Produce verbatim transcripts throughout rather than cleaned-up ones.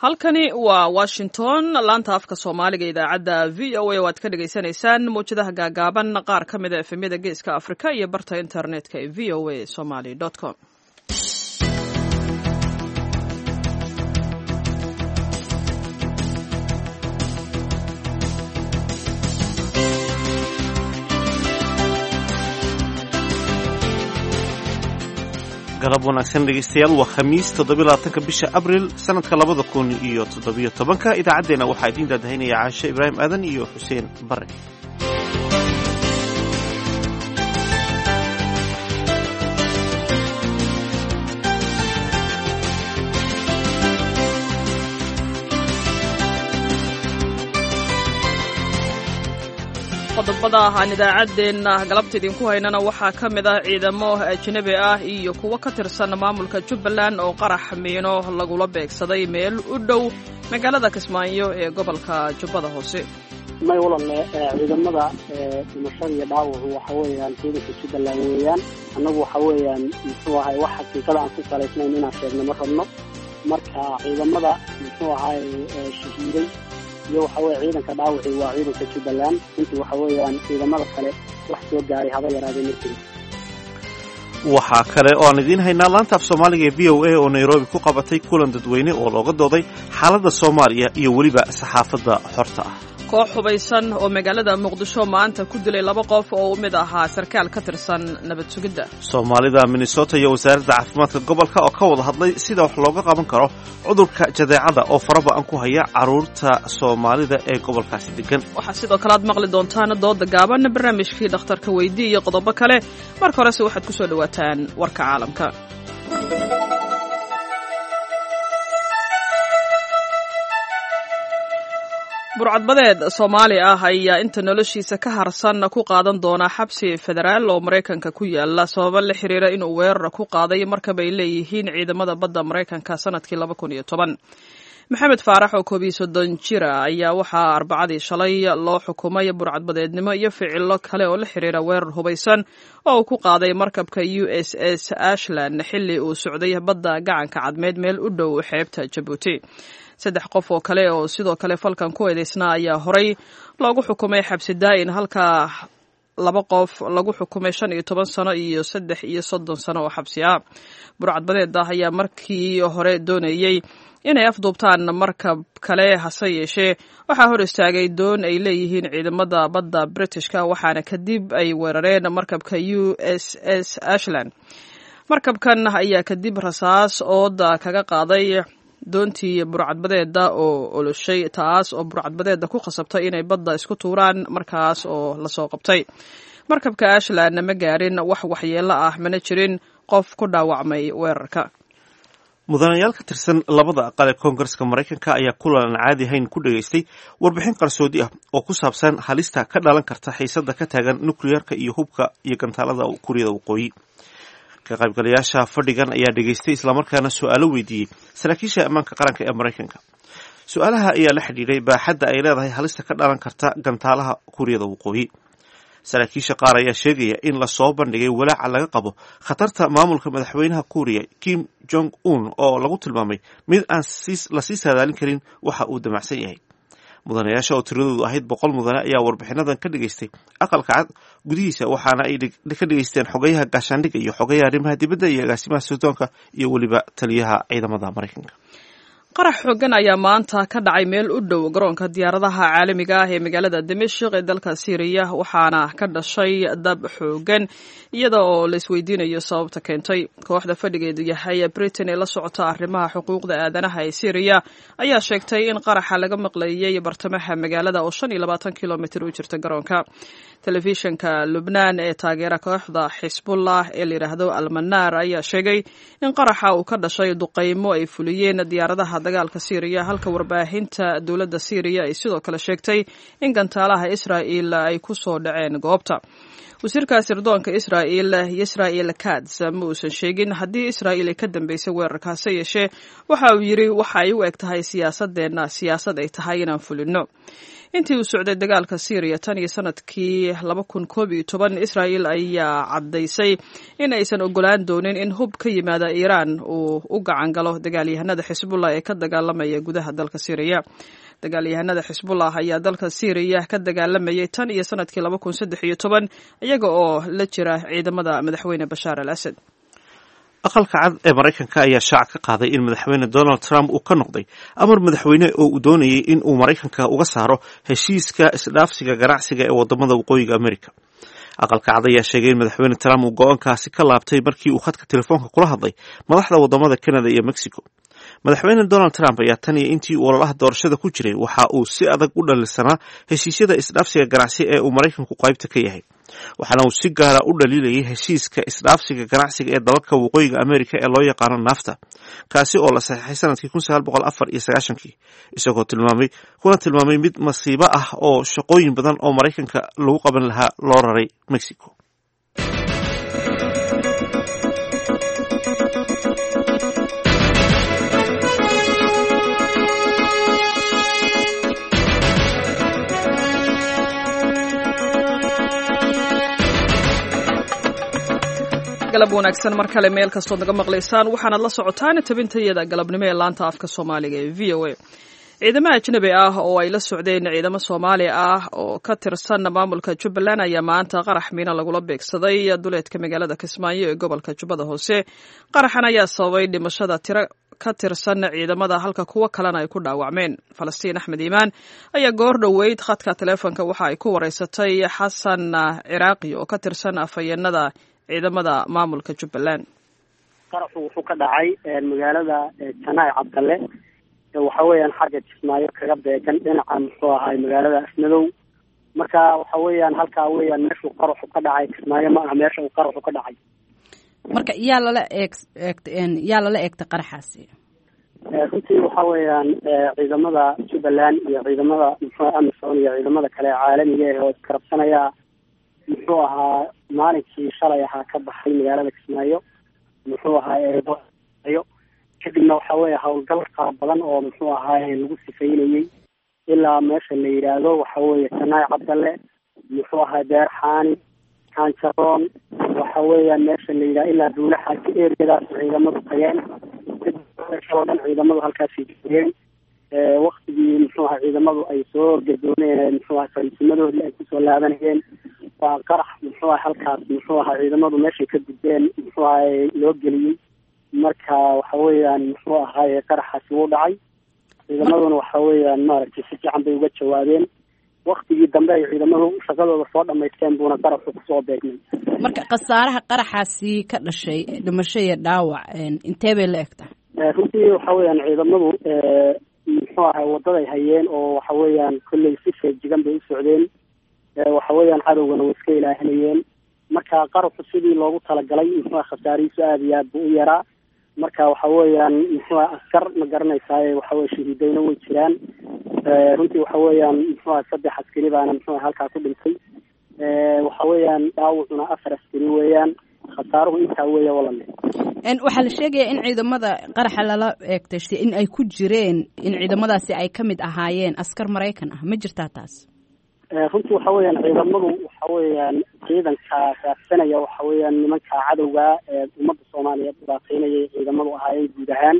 Halkani waa Washington, laanta afka Soomaaliga, idaacadda V O A oo aad ka dhagaysanaysaan mawjadaha gaagaaban, qaar ka mid a F M-yada Geeska Afrika iyo barta internetka ee V O A Somali com. Galab wanaagsan, dhegeystayaal. Waa Khamiis, toddobylabaatanka bisha Abril, sanadka labada kun iyo toddobiyo tobanka. Idaacaddeenna waxaa idiin daadahinaya Caashe Ibraahim Aadan iyo Xuseen Bare. Qodobada aan idaacaddeenna galabta idinku haynana waxaa ka mid ah ciidamo ajnabi ah iyo kuwo ka tirsan maamulka Jubbaland oo qarax miino lagula beegsaday meel u dhow magaalada Kismaayo ee gobolka Jubbada Hoose. May walalle, ciidamada dhimashada iyo dhaawacu waxa weeyaan ciidanka Jubbaland weeyaan. Annagu waxa weeyaan, muxuu ahay, wax xaqiiqada aan ku salaysnayn inaan sheegno ma rabno. Marka ciidamada, muxuu ahay, shahiiday iyo waxa weye ciidanka dhaawaci waa ciidanka Jubbaland. Intii waxa weeyaan ciidamada kale wax soo gaaray haba yaraadee ma jiro. Waxaa kale oo aan idiin haynaa laanta af Soomaaliga ee V O A oo Nairobi ku qabatay kulan dadweyne oo looga dooday xaaladda Soomaaliya iyo weliba saxaafadda xorta ah. Koox hubaysan oo magaalada Muqdisho maanta ku dilay laba qof oo u mid ahaa sarkaal ka tirsan nabad sugidda. Soomaalida Minnesota iyo wasaaradda caafimaadka gobolka oo ka wada hadlay sida wax looga qaban karo cudurka jadeecada oo faraba'an ku haya carruurta Soomaalida ee gobolkaasi degan. Waxaa sidoo kale aad maqli doontaan dooda gaaban, barnaamijkii dhakhtarka weydii iyo qodobo kale. Marka horese waxaad ku soo dhowaataan warka caalamka. Burcadbadeed Soomaali ah ayaa inta noloshiisa ka harsan ku qaadan doona xabsi federaal oo Maraykanka ku yaala, sababo la xiriira inuu weerar ku qaaday markab ay leeyihiin ciidamada badda Maraykanka sanadkii laba kun iyo toban. Maxamed Faarax oo koob iyo soddon jira ayaa waxaa Arbacadii shalay loo xukumay burcadbadeednimo iyo ficilo kale oo la xiriira weerar hubaysan oo uu ku qaaday markabka U S S Ashland xilli uu socday badda Gacanka Cadmeed, meel u dhow xeebta Jabuuti. Saddex qof oo kale oo sidoo kale falkan ku eedeysnaa ayaa horay loogu xukumay xabsi daa'in, halka laba qof lagu xukumay shan iyo toban sano iyo saddex iyo soddon sano oo xabsi ah. Burcadbadeed ah ayaa markii hore doonayey inay afduubtaan markab kale, hase yeeshee waxaa hor istaagay doon ay leeyihiin ciidamada badda Britishka, waxaana kadib ay weerareen markabka U S S Ashland. Markabkan ayaa kadib rasaas ooda kaga qaaday doontii burcadbadeeda oo oloshay, taas oo burcadbadeeda ku khasabtay inay badda isku tuuraan, markaas oo lasoo qabtay. Markabka Ashland ma gaarin wax waxyeelo ah, mana jirin qof ku dhaawacmay weerarka. Mudanayaal ka tirsan labada aqal ee Koongareska Maraykanka ayaa kulan aan caadi ahayn ku dhegaystay warbixin qarsoodi ah oo ku saabsan halista ka dhalan karta xiisada ka taagan nukliyeerka iyo hubka iyo gantaalada Kuuriyada Waqooyi. Ka qaybgalayaasha fadhigan ayaa dhegaystay islamarkaana su-aalo weydiiyey saraakiisha ammaanka qaranka ee Maraykanka. Su-aalaha ayaa la xidhiidhay baaxadda ay leedahay halista ka dhalan karta gantaalaha Kuuriyada Waqooyi. Saraakiisha qaar ayaa sheegaya in lasoo bandhigay walaaca laga qabo khatarta maamulka madaxweynaha Kuuriya Kim Jong Un, oo lagu tilmaamay mid aan lasii saadaalin karin waxa uu damacsan yahay. Mudanayaasha oo tiradoodu ahayd boqol mudane ayaa warbixinadan ka dhegaystay Aqalka Cad gudihiisa, waxaana ay ka dhegaysteen xogayaha gaashaandhigga iyo xogayaha arrimaha dibadda iyo agaasimaha sirdoonka iyo weliba taliyaha ciidamada Maraykanka. Qarax xoogan ayaa maanta ka dhacay meel u dhow garoonka diyaaradaha caalamiga ah ee magaalada Dimashik ee dalka Siiriya, waxaana ka dhashay dab xoogan, iyada oo la isweydiinayo sababta keentay. Kooxda fadhigeedu yahay Britain ee la socota arrimaha xuquuqda aadanaha ee Siiriya ayaa sheegtay in qaraxa laga maqleeyey bartamaha magaalada oo shan iyo labaatan kilomitir u jirta garoonka. Telefishinka Lubnaan ee taageera kooxda Xisbullah ee la yidhaahdo Almanaar ayaa sheegay in qaraxa uu ka dhashay duqaymo ay fuliyeen diyaaradaha dagaalka Siiriya, halka warbaahinta dowladda Siiriya ay sidoo kale sheegtay in gantaalaha Israa'il ay ku soo dhaceen goobta. Wasiirka sirdoonka Israa'il Yisrael Katz ma uusan sheegin haddii Israa'il ay ka dambeysay weerarkaase yeeshee waxa uu yidhi: "Waxa ay u eg tahay siyaasadeenna siyaasad ay tahay inaan fulino." Intii uu socday dagaalka Syriya tan iyo sanadkii laba kun koob iyo toban, Israa'il ayaa caddaysay in aysan ogolaan doonin in hub ka yimaada Iiraan uu u gacan galo dagaalyahanada Xisbullah ee ka dagaalamaya gudaha dalka Syriya. Dagaalyahanada Xisbullah ayaa dalka Syriya ka dagaalamayay tan iyo sanadkii laba kun saddex iyo toban, iyaga oo la jira ciidamada madaxweyne Bashaar al Asad. Aqalka Cad ee Maraykanka ayaa shaac ka qaaday in Madaxweyne Donald Trump uu ka noqday amar madaxweyne oo uu doonayay in uu Maraykanka uga saaro heshiiska isdhaafsiga ganacsiga ee wadamada Waqooyiga America. Aqalka Cad ayaa sheegay in Madaxweyne Trump uu go-aankaasi ka laabtay markii uu khadka telefoonka kula hadlay madaxda wadamada Canada iyo Mexico. Madaxweyne Donald Trump ayaa tan iyo intii uu ololaha doorashada ku jiray waxa uu si adag u dhalisanaa heshiisyada isdhaafsiga ganacsi ee uu Maraykanku qaybta ka yahay, waxaana uu si gaara u dhaliilayay heshiiska isdhaafsiga ganacsiga ee dalalka Waqooyiga America ee loo yaqaano NAFTA, kaasi oo la saxeexay sanadkii kun sagaal boqol afar iyo sagaashankii, isagoo tilmaamay kuna tilmaamay mid masiibo ah oo shaqooyin badan oo Maraykanka lagu qaban lahaa loo raray Mexico. Galab wanaagsan mar kale meel kastood naga maqlaysaan. Waxaanaad la socotaan tabintayada galabnimo ee laanta afka Soomaaliga ee V O A. Ciidamo ajnabi ah oo ay la socdeen ciidamo Soomaali ah oo ka tirsan maamulka Jubbaland ayaa maanta qarax miina lagula beegsaday duleedka magaalada Kismaayo ee gobolka Jubbada Hoose. Qaraxan ayaa sababay dhimashada tiro ka tirsan ciidamada, halka kuwo kalena ay ku dhaawacmeen. Falastiin Axmed Iimaan ayaa goor dhoweyd khadka taleefonka waxa ay ku wareysatay Xasan Ciraaqi oo ka tirsan afhayeenada ciidamada maamulka Jubbaland. Qaraxu wuxuu ka dhacay magaalada Janaay Cabdalle, waxa weeyaan xagga Kismaayo kaga beegan dhinaca muxuu ahaay magaalada Afmadow. Marka waxa weeyaan halkaa weeyaan meeshuu qaraxu ka dhacay. Kismaayo ma aha meesha uu qaraxu ka dhacay. Marka yaa lala eeg eegt yaa lala eegtay qaraxaasi? Runtii waxa weeyaan ciidamada Jubbaland iyo ciidamada muxuu AMISOM iyo ciidamada kale caalamiga ah oo iskarabsanaya muxuu ahaa maalinkii shalay ahaa ka baxay magaalada Kismaayo muxuu ahaa eeyo. Kadibna waxa weeye howlgal qaar badan oo muxuu ahaay lagu sifeynayey ilaa meesha la yidhaahdo waxa weeye Janaay Cabdalle, muxuu ahaa Beer Xaani, Kaanjaroon, waxa weeyaan meesha la yidhahdo ilaa Duulaxaasi eriyadaas ciidamadu tageen. Kadib dhan ciidamadu halkaasay joogeen. Waktigii muxuu ahaa ciidamadu ay soo gadoomeen muxuu ahaa fariisimadoodii ay kusoo laabanayeen waa qarax muxuu aha halkaas muxuu ahaa ciidamadu meeshay ka gudbeen muxuu ahaay loo geliyey. Marka waxa weeyaan muxuu ahaaye qaraxaasi wuu dhacay, ciidamaduna waxa weeyaan maaragtay si fiican bay uga jawaabeen. Waktigii dambe ay ciidamadu shaqadooda soo dhamaysteen buuna qaraxu kusoo beegmay. Marka khasaaraha qaraxaasi ka dhashay, dhimasho iyo dhaawac, intee bay la eg tahay? Runtii waxa weeyaan ciidamadu muxuu ahay wadaday hayeen oo waxa weeyaan kolley si feejigan bay u socdeen, waxa weeyaan cadowgana way iska ilaahinayeen. Marka qaraxu sidii loogu talagalay muxuu aha khasaarihiisu aada iyo aad buu u yaraa. Marka waxa weeyaan muxuu aha askar ma garanaysaaye waxa weye shahiidayna way jiraan. Runtii waxa weeyaan muxuu aha saddex askari baana muxuu aha halkaa ku dhintay, waxa weeyaan dhaawacuna afar askari weeyaan. Khasaaruhu intaa weeya walale. Waxaa la sheegayaa in ciidamada qaraxa lala eegtay in ay ku jireen in ciidamadaasi ay ka mid ahaayeen askar Maraykan ah. Ma jirtaa taas? Runtii waxa weeyaan ciidamadu waxa weeyaan ciidanka raadsanaya waxa weeyaan nimanka cadowga ee ummadda Soomaaliyeed dhibaateynayay ciidamadu ahaayeen guud ahaan.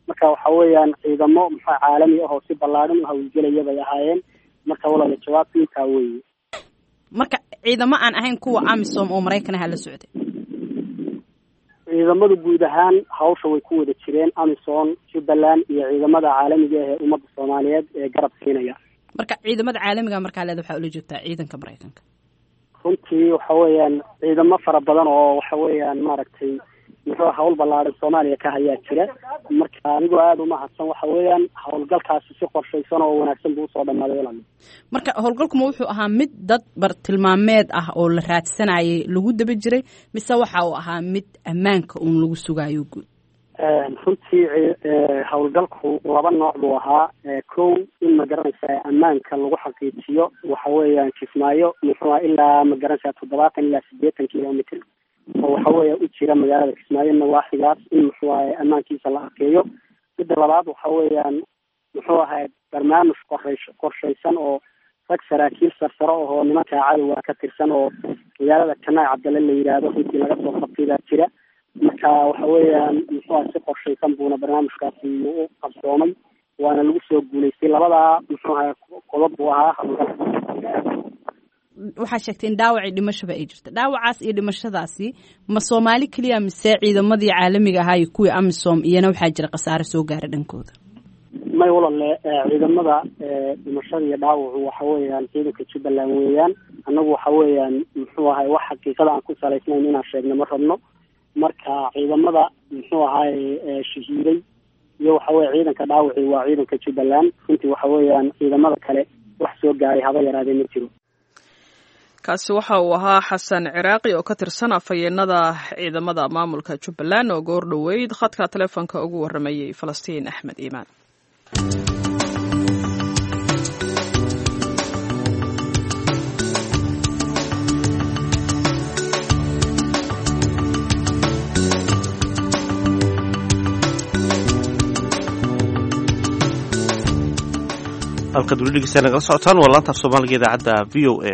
Marka waxa weeyaan ciidamo muxuu caalami ah oo si ballaadhan u hawlgelaya bay ahaayeen. Marka walaala jawaabtu intaa weeye. Marka ciidamo aan ahayn kuwa AMISOM oo Maraykan aha la socday? Ciidamadu guud ahaan hawsha way ku wada jireen, AMISOM, Jubbaland iyo ciidamada caalamiga ah ee ummadda Soomaaliyeed ee garab siinaya. Marka ciidamada caalamiga markaa leeda waxaa ula joogtaa ciidanka Maraykanka? Runtii waxa weeyaan ciidamo fara badan oo waxa weeyaan maaragtay muxuu hawl ballaadhan Soomaaliya ka hayaa jira. Marka anigoo aada umahadsan waxa weeyaan howlgalkaasi si qorshaysan oo wanaagsan buu usoo dhamaaday walaal. Marka howlgalkuma wuxuu ahaa mid dad bartilmaameed ah oo la raadsanayay lagu daba jiray, mise waxa uu ahaa mid ammaanka uun lagu sugaayo guud? Runtii howlgalku laba nooc buu ahaa. Kow, in ma garanaysaa ammaanka lagu xaqiijiyo waxa weeyaan Kismaayo muxuu aha ilaa ma garanaysaa toddobaatan ilaa sideetan kilomitr oo waxa weeya u jira magaalada Kismaayo nawaaxigaas, in muxuu ahay ammaankiisa la adkeeyo. Midda labaad waxa weeyaan muxuu ahay barnaamij qorshay qorshaysan oo Rag saraakiil sarsaro ahoo nimanka cadowga ka tirsan oo magaalada Janaay Cabdalle la yidhaahdo runtii laga soo qabtay baa jira. Marka waxa weeyaan muxuu aha si qorshaysan buuna barnaamijkaasi u qabsoomay, waana lagu soo guulaystay. Labadaa muxuu ahaa qodob buu ahaa howlgalka. Waxaa sheegtay in dhaawacii dhimashaba ay jirta. Dhaawacaas iyo dhimashadaasi ma Soomaali keliya mise ciidamadii caalamiga ahaa iyo kuwii AMISOM iyana waxaa jira khasaare soo gaara dhankooda? May walalle, ciidamada dhimashada iyo dhaawacu waxa weeyaan ciidanka Jubbaland weeyaan. Annagu waxa weeyaan muxuu ahay wax xaqiiqada aan ku salaysnayn inaan sheegno ma rabno. Marka ciidamada muxuu ahaay shahiiday iyo waxa weye ciidanka dhaawaci waa ciidanka Jubbaland. Runtii waxa weeyaan ciidamada kale wax soo gaaray haba yaraadee ma jiro. Kaasi waxa uu ahaa Xasan Ciraaqi oo ka tirsan afhayeenada ciidamada maamulka Jubbaland oo goor dhoweyd khadka telefoonka ugu warramayay Falastiin Axmed Iimaan. Halkaad weli dhegeystayaa nagala socotaan waa laanta af Soomaaliga idaacadda V O A.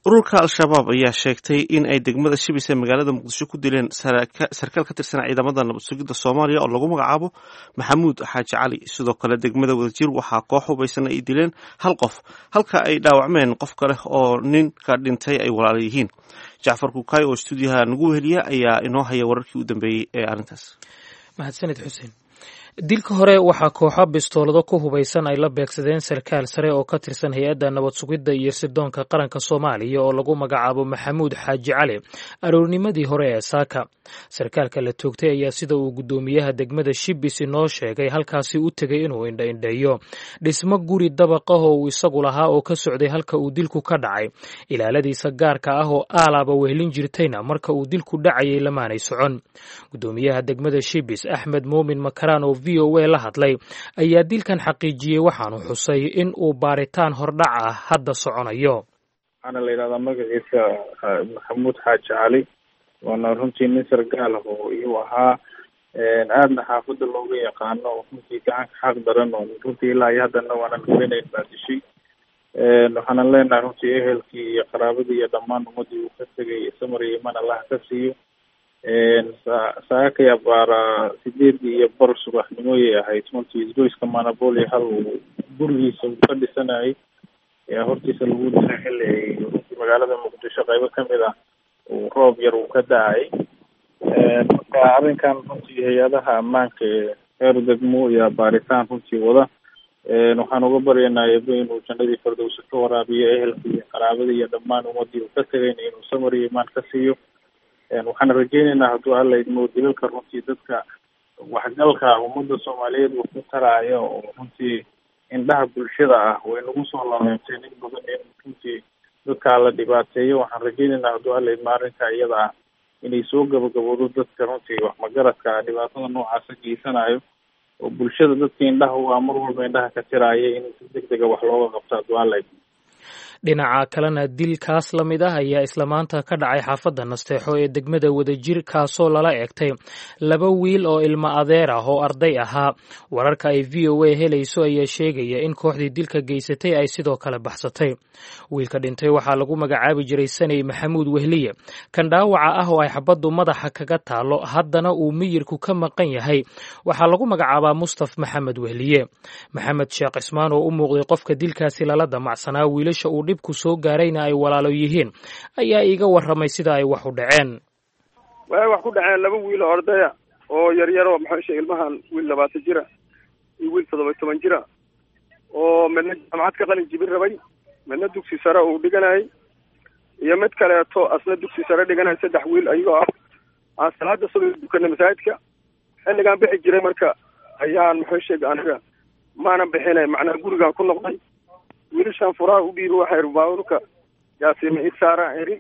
Ururka Al-Shabaab ayaa sheegtay in ay degmada Shibis ee magaalada Muqdisho ku dileen sarkaal ka tirsan ciidamada nabad sugidda Soomaaliya oo lagu magacaabo Maxamuud Xaaji Cali. Sidoo kale degmada Wadajir waxaa koox hubaysan ay dileen hal qof, halka ay dhaawacmeen qof kale oo ninka dhintay ay walaala yihiin. Jacfar Kukaay oo stuudiyaha nagu weheliya ayaa inoo haya wararkii u dambeeyey ee arrintaas. Mahadsanid Xuseen. Dilka hore waxaa kooxo bistoolado ku hubaysan ay la beegsadeen sarkaal sare oo ka tirsan hay-adda nabad sugidda iyo sirdoonka qaranka Soomaaliya oo lagu magacaabo Maxamuud Xaaji Cali aroornimadii hore ee saaka. Sarkaalka la toogtay ayaa sida uu guddoomiyaha degmada Shibis inoo sheegay halkaasi u tegay inuu indhaindheeyo dhismo guri dabaq ah oo uu isagu lahaa oo ka socday halka uu dilku ka dhacay. Ilaaladiisa gaarka ah oo aalaaba wehelin jirtayna marka uu dilku dhacayay lamaanay socon. Guddoomiyaha degmada Shibis Axmed Muumin Makaraan oo V O A la hadlay ayaa dilkan xaqiijiyey, waxaanu xusay in uu baaritaan hordhac ah hadda soconayo. Waxaana la yidhahdaa magaciisa Maxamuud Xaaji Cali, waana runtii nin sargaal ah oo iyuu ahaa aadna xaafadda looga yaqaano, oo runtii gacanka xaq daran oo runtii ilaa iyo haddana waanan hubinayn baa dishay. Waxaanan leenahay runtii ehelkii iyo qaraabadii iyo dhammaan ummadii uu ka tegay samar iyo iman Allah ka siiyo. Saakay abaara sideedii iyo bar subaxnimoyay ahayd runtii isgoyska Manaboli hal uu gurigiisa uu ka dhisanayay ayaa hortiisa lagu dilay xilli ay runtii magaalada Muqdisho qaybo kamid ah uu roob yar uu ka da-ay. Marka arrinkan runtii hay-adaha ammaanka ee heer degmo iyo baaritaan runtii wada. Waxaan uga baryaynaa Eebe inuu jannadii fardowsa ka waraabiyo ehelka iyo qaraabada iyo dhammaan ummadii uu ka tegayna inuu samar iyo imaan ka siiyo. Waxaan rajeynaynaa hadduu Alla idmo dilalka runtii dadka waxgalka ummadda Soomaaliyeed uu ku taraayo oo runtii indhaha bulshada ah way nagu soo laleebteen in badan in runtii dadkaa la dhibaateeyo. Waxaan rajeynaynaa hadduu Alla idmo arrinka iyada ah inay soo gabagaboodo dadka runtii waxmagaradka ah dhibaatada noocaasa geysanayo oo bulshada dadka indhaha u ah mar walba indhaha ka tiraaya in si deg dega wax looga qabto hadduu Alla idmo. Dhinaca kalena dilkaas la mid ah ayaa isla maanta ka dhacay xaafadda Nasteexo ee degmada Wadajir, kaasoo lala eegtay laba wiil oo ilmo adeer ah oo arday ahaa. Wararka ay V O A helayso ayaa sheegaya in kooxdii dilka geysatay ay sidoo kale baxsatay. Wiilka dhintay waxaa lagu magacaabi jiray Saney Maxamuud Wehliye. Kan dhaawaca ah oo ay xabaddu madaxa kaga taalo haddana uu miyirku ka maqan yahay waxaa lagu magacaabaa Mustaf Maxamed Wehliye. Maxamed Sheekh Cismaan oo u muuqday qofka dilkaasi lala damacsanaa wiilasha uu dhibku soo gaarayna ay walaalo yihiin ayaa iiga warramay sida ay wax u dhaceen. Waxay wax ku dhaceen laba wiil oo ardaya oo yaryar oo maxaa sheegay ilmahan wiil labaatan jira iyo wiil toddoba toban jira oo midna jaamacad ka qalin jibin rabay, midna dugsi sare uu dhiganayay iyo mid kaleeto asna dugsi sare dhiganaya. Saddex wiil ayagoo ah aan salaada subax dukanay masaajidka xilligaan bixi jiray. Marka ayaan maxaa sheegay aniga maanan bixinay, macnaa gurigaan ku noqday. Wiilashaan furaha u dhiiba waxay baabuurka yaasiima i saaraan iri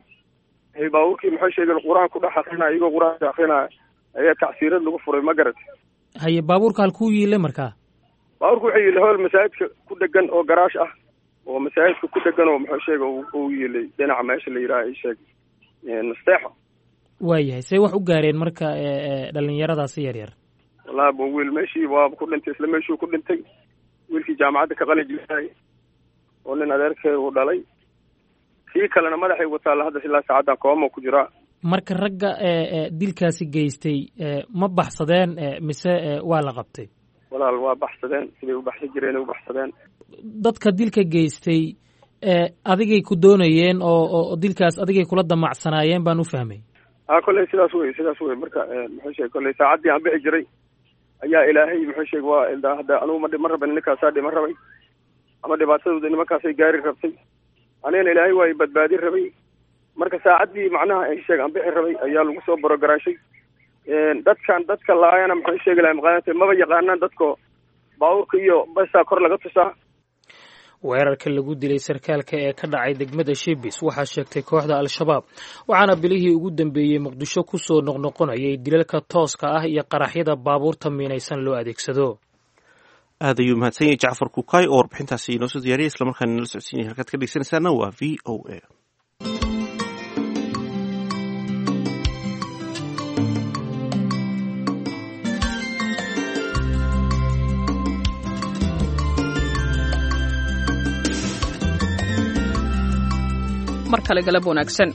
baabuurkii maxaa sheegay qur-aan ku dhex akrinaya, iyagoo qur-aanka akrinaya ayaa tacsiirad lagu furay, ma garat. Haye, baabuurka halkuu yiile markaa? Baabuurka wuxuu yiilay hool masaajidka ku dhegan oo garaash ah oo masaajidka ku dhegan oo maxaa sheegay uu yiilay dhinaca meesha la yidhaha i sheeg Nasteexo. Waayahay, see wax u gaareen marka dhalinyaradaasi yar yar? Wallahi bo wiil meeshii waaba ku dhintay, isla meeshuu ku dhintay wiilkii jaamacadda ka qalin jibinayay. oo nin adeerkay uu dhalay, kii kalena madaxay ugu taalla hadda ilaa saacaddan kooma ku jiraa. Marka ragga dilkaasi geystay ma baxsadeen mise waa la qabtay? Walaal, waa baxsadeen, siday u baxsan jireen u baxsadeen. Dadka dilka geystay adigay ku doonayeen oo oo dilkaas adigay kula damacsanaayeen baan u fahmay. A kolley sidaas wey, sidaas wey. Marka muxuu sheegay, kolley saacaddii aan bixi jiray ayaa ilaahay muxuu sheegay waa hadda anugu ma ma rabin, ninkaasaa dhima rabay ama dhibaatadooda nimankaasay gaari rabtay, anigana ilaahay waa badbaadin rabay. Marka saacaddii macnaha sheeg aan bixi rabay ayaa lagu soo borogaraashay dadkan. Dadka laayana muxuu sheegi lahay maqaanata maba yaqaanaan dadko, baabuurka iyo basaa kor laga tusaa. Weerarka lagu dilay sarkaalka ee ka dhacay degmada Shibis waxaa sheegtay kooxda Al-Shabaab, waxaana bilihii ugu dambeeyey Muqdisho ku soo noqnoqonayay dilalka tooska ah iyo qaraxyada baabuurta miinaysan loo adeegsado. Aad ayuu mahadsan yahay Jacfar Kukaay oo warbixintaasi inoo soo diyaariyay islamarkaana nala socodsiinaya. Halkaad ka dhegeysanaysaana waa V O A. Mar kale galab wanaagsan.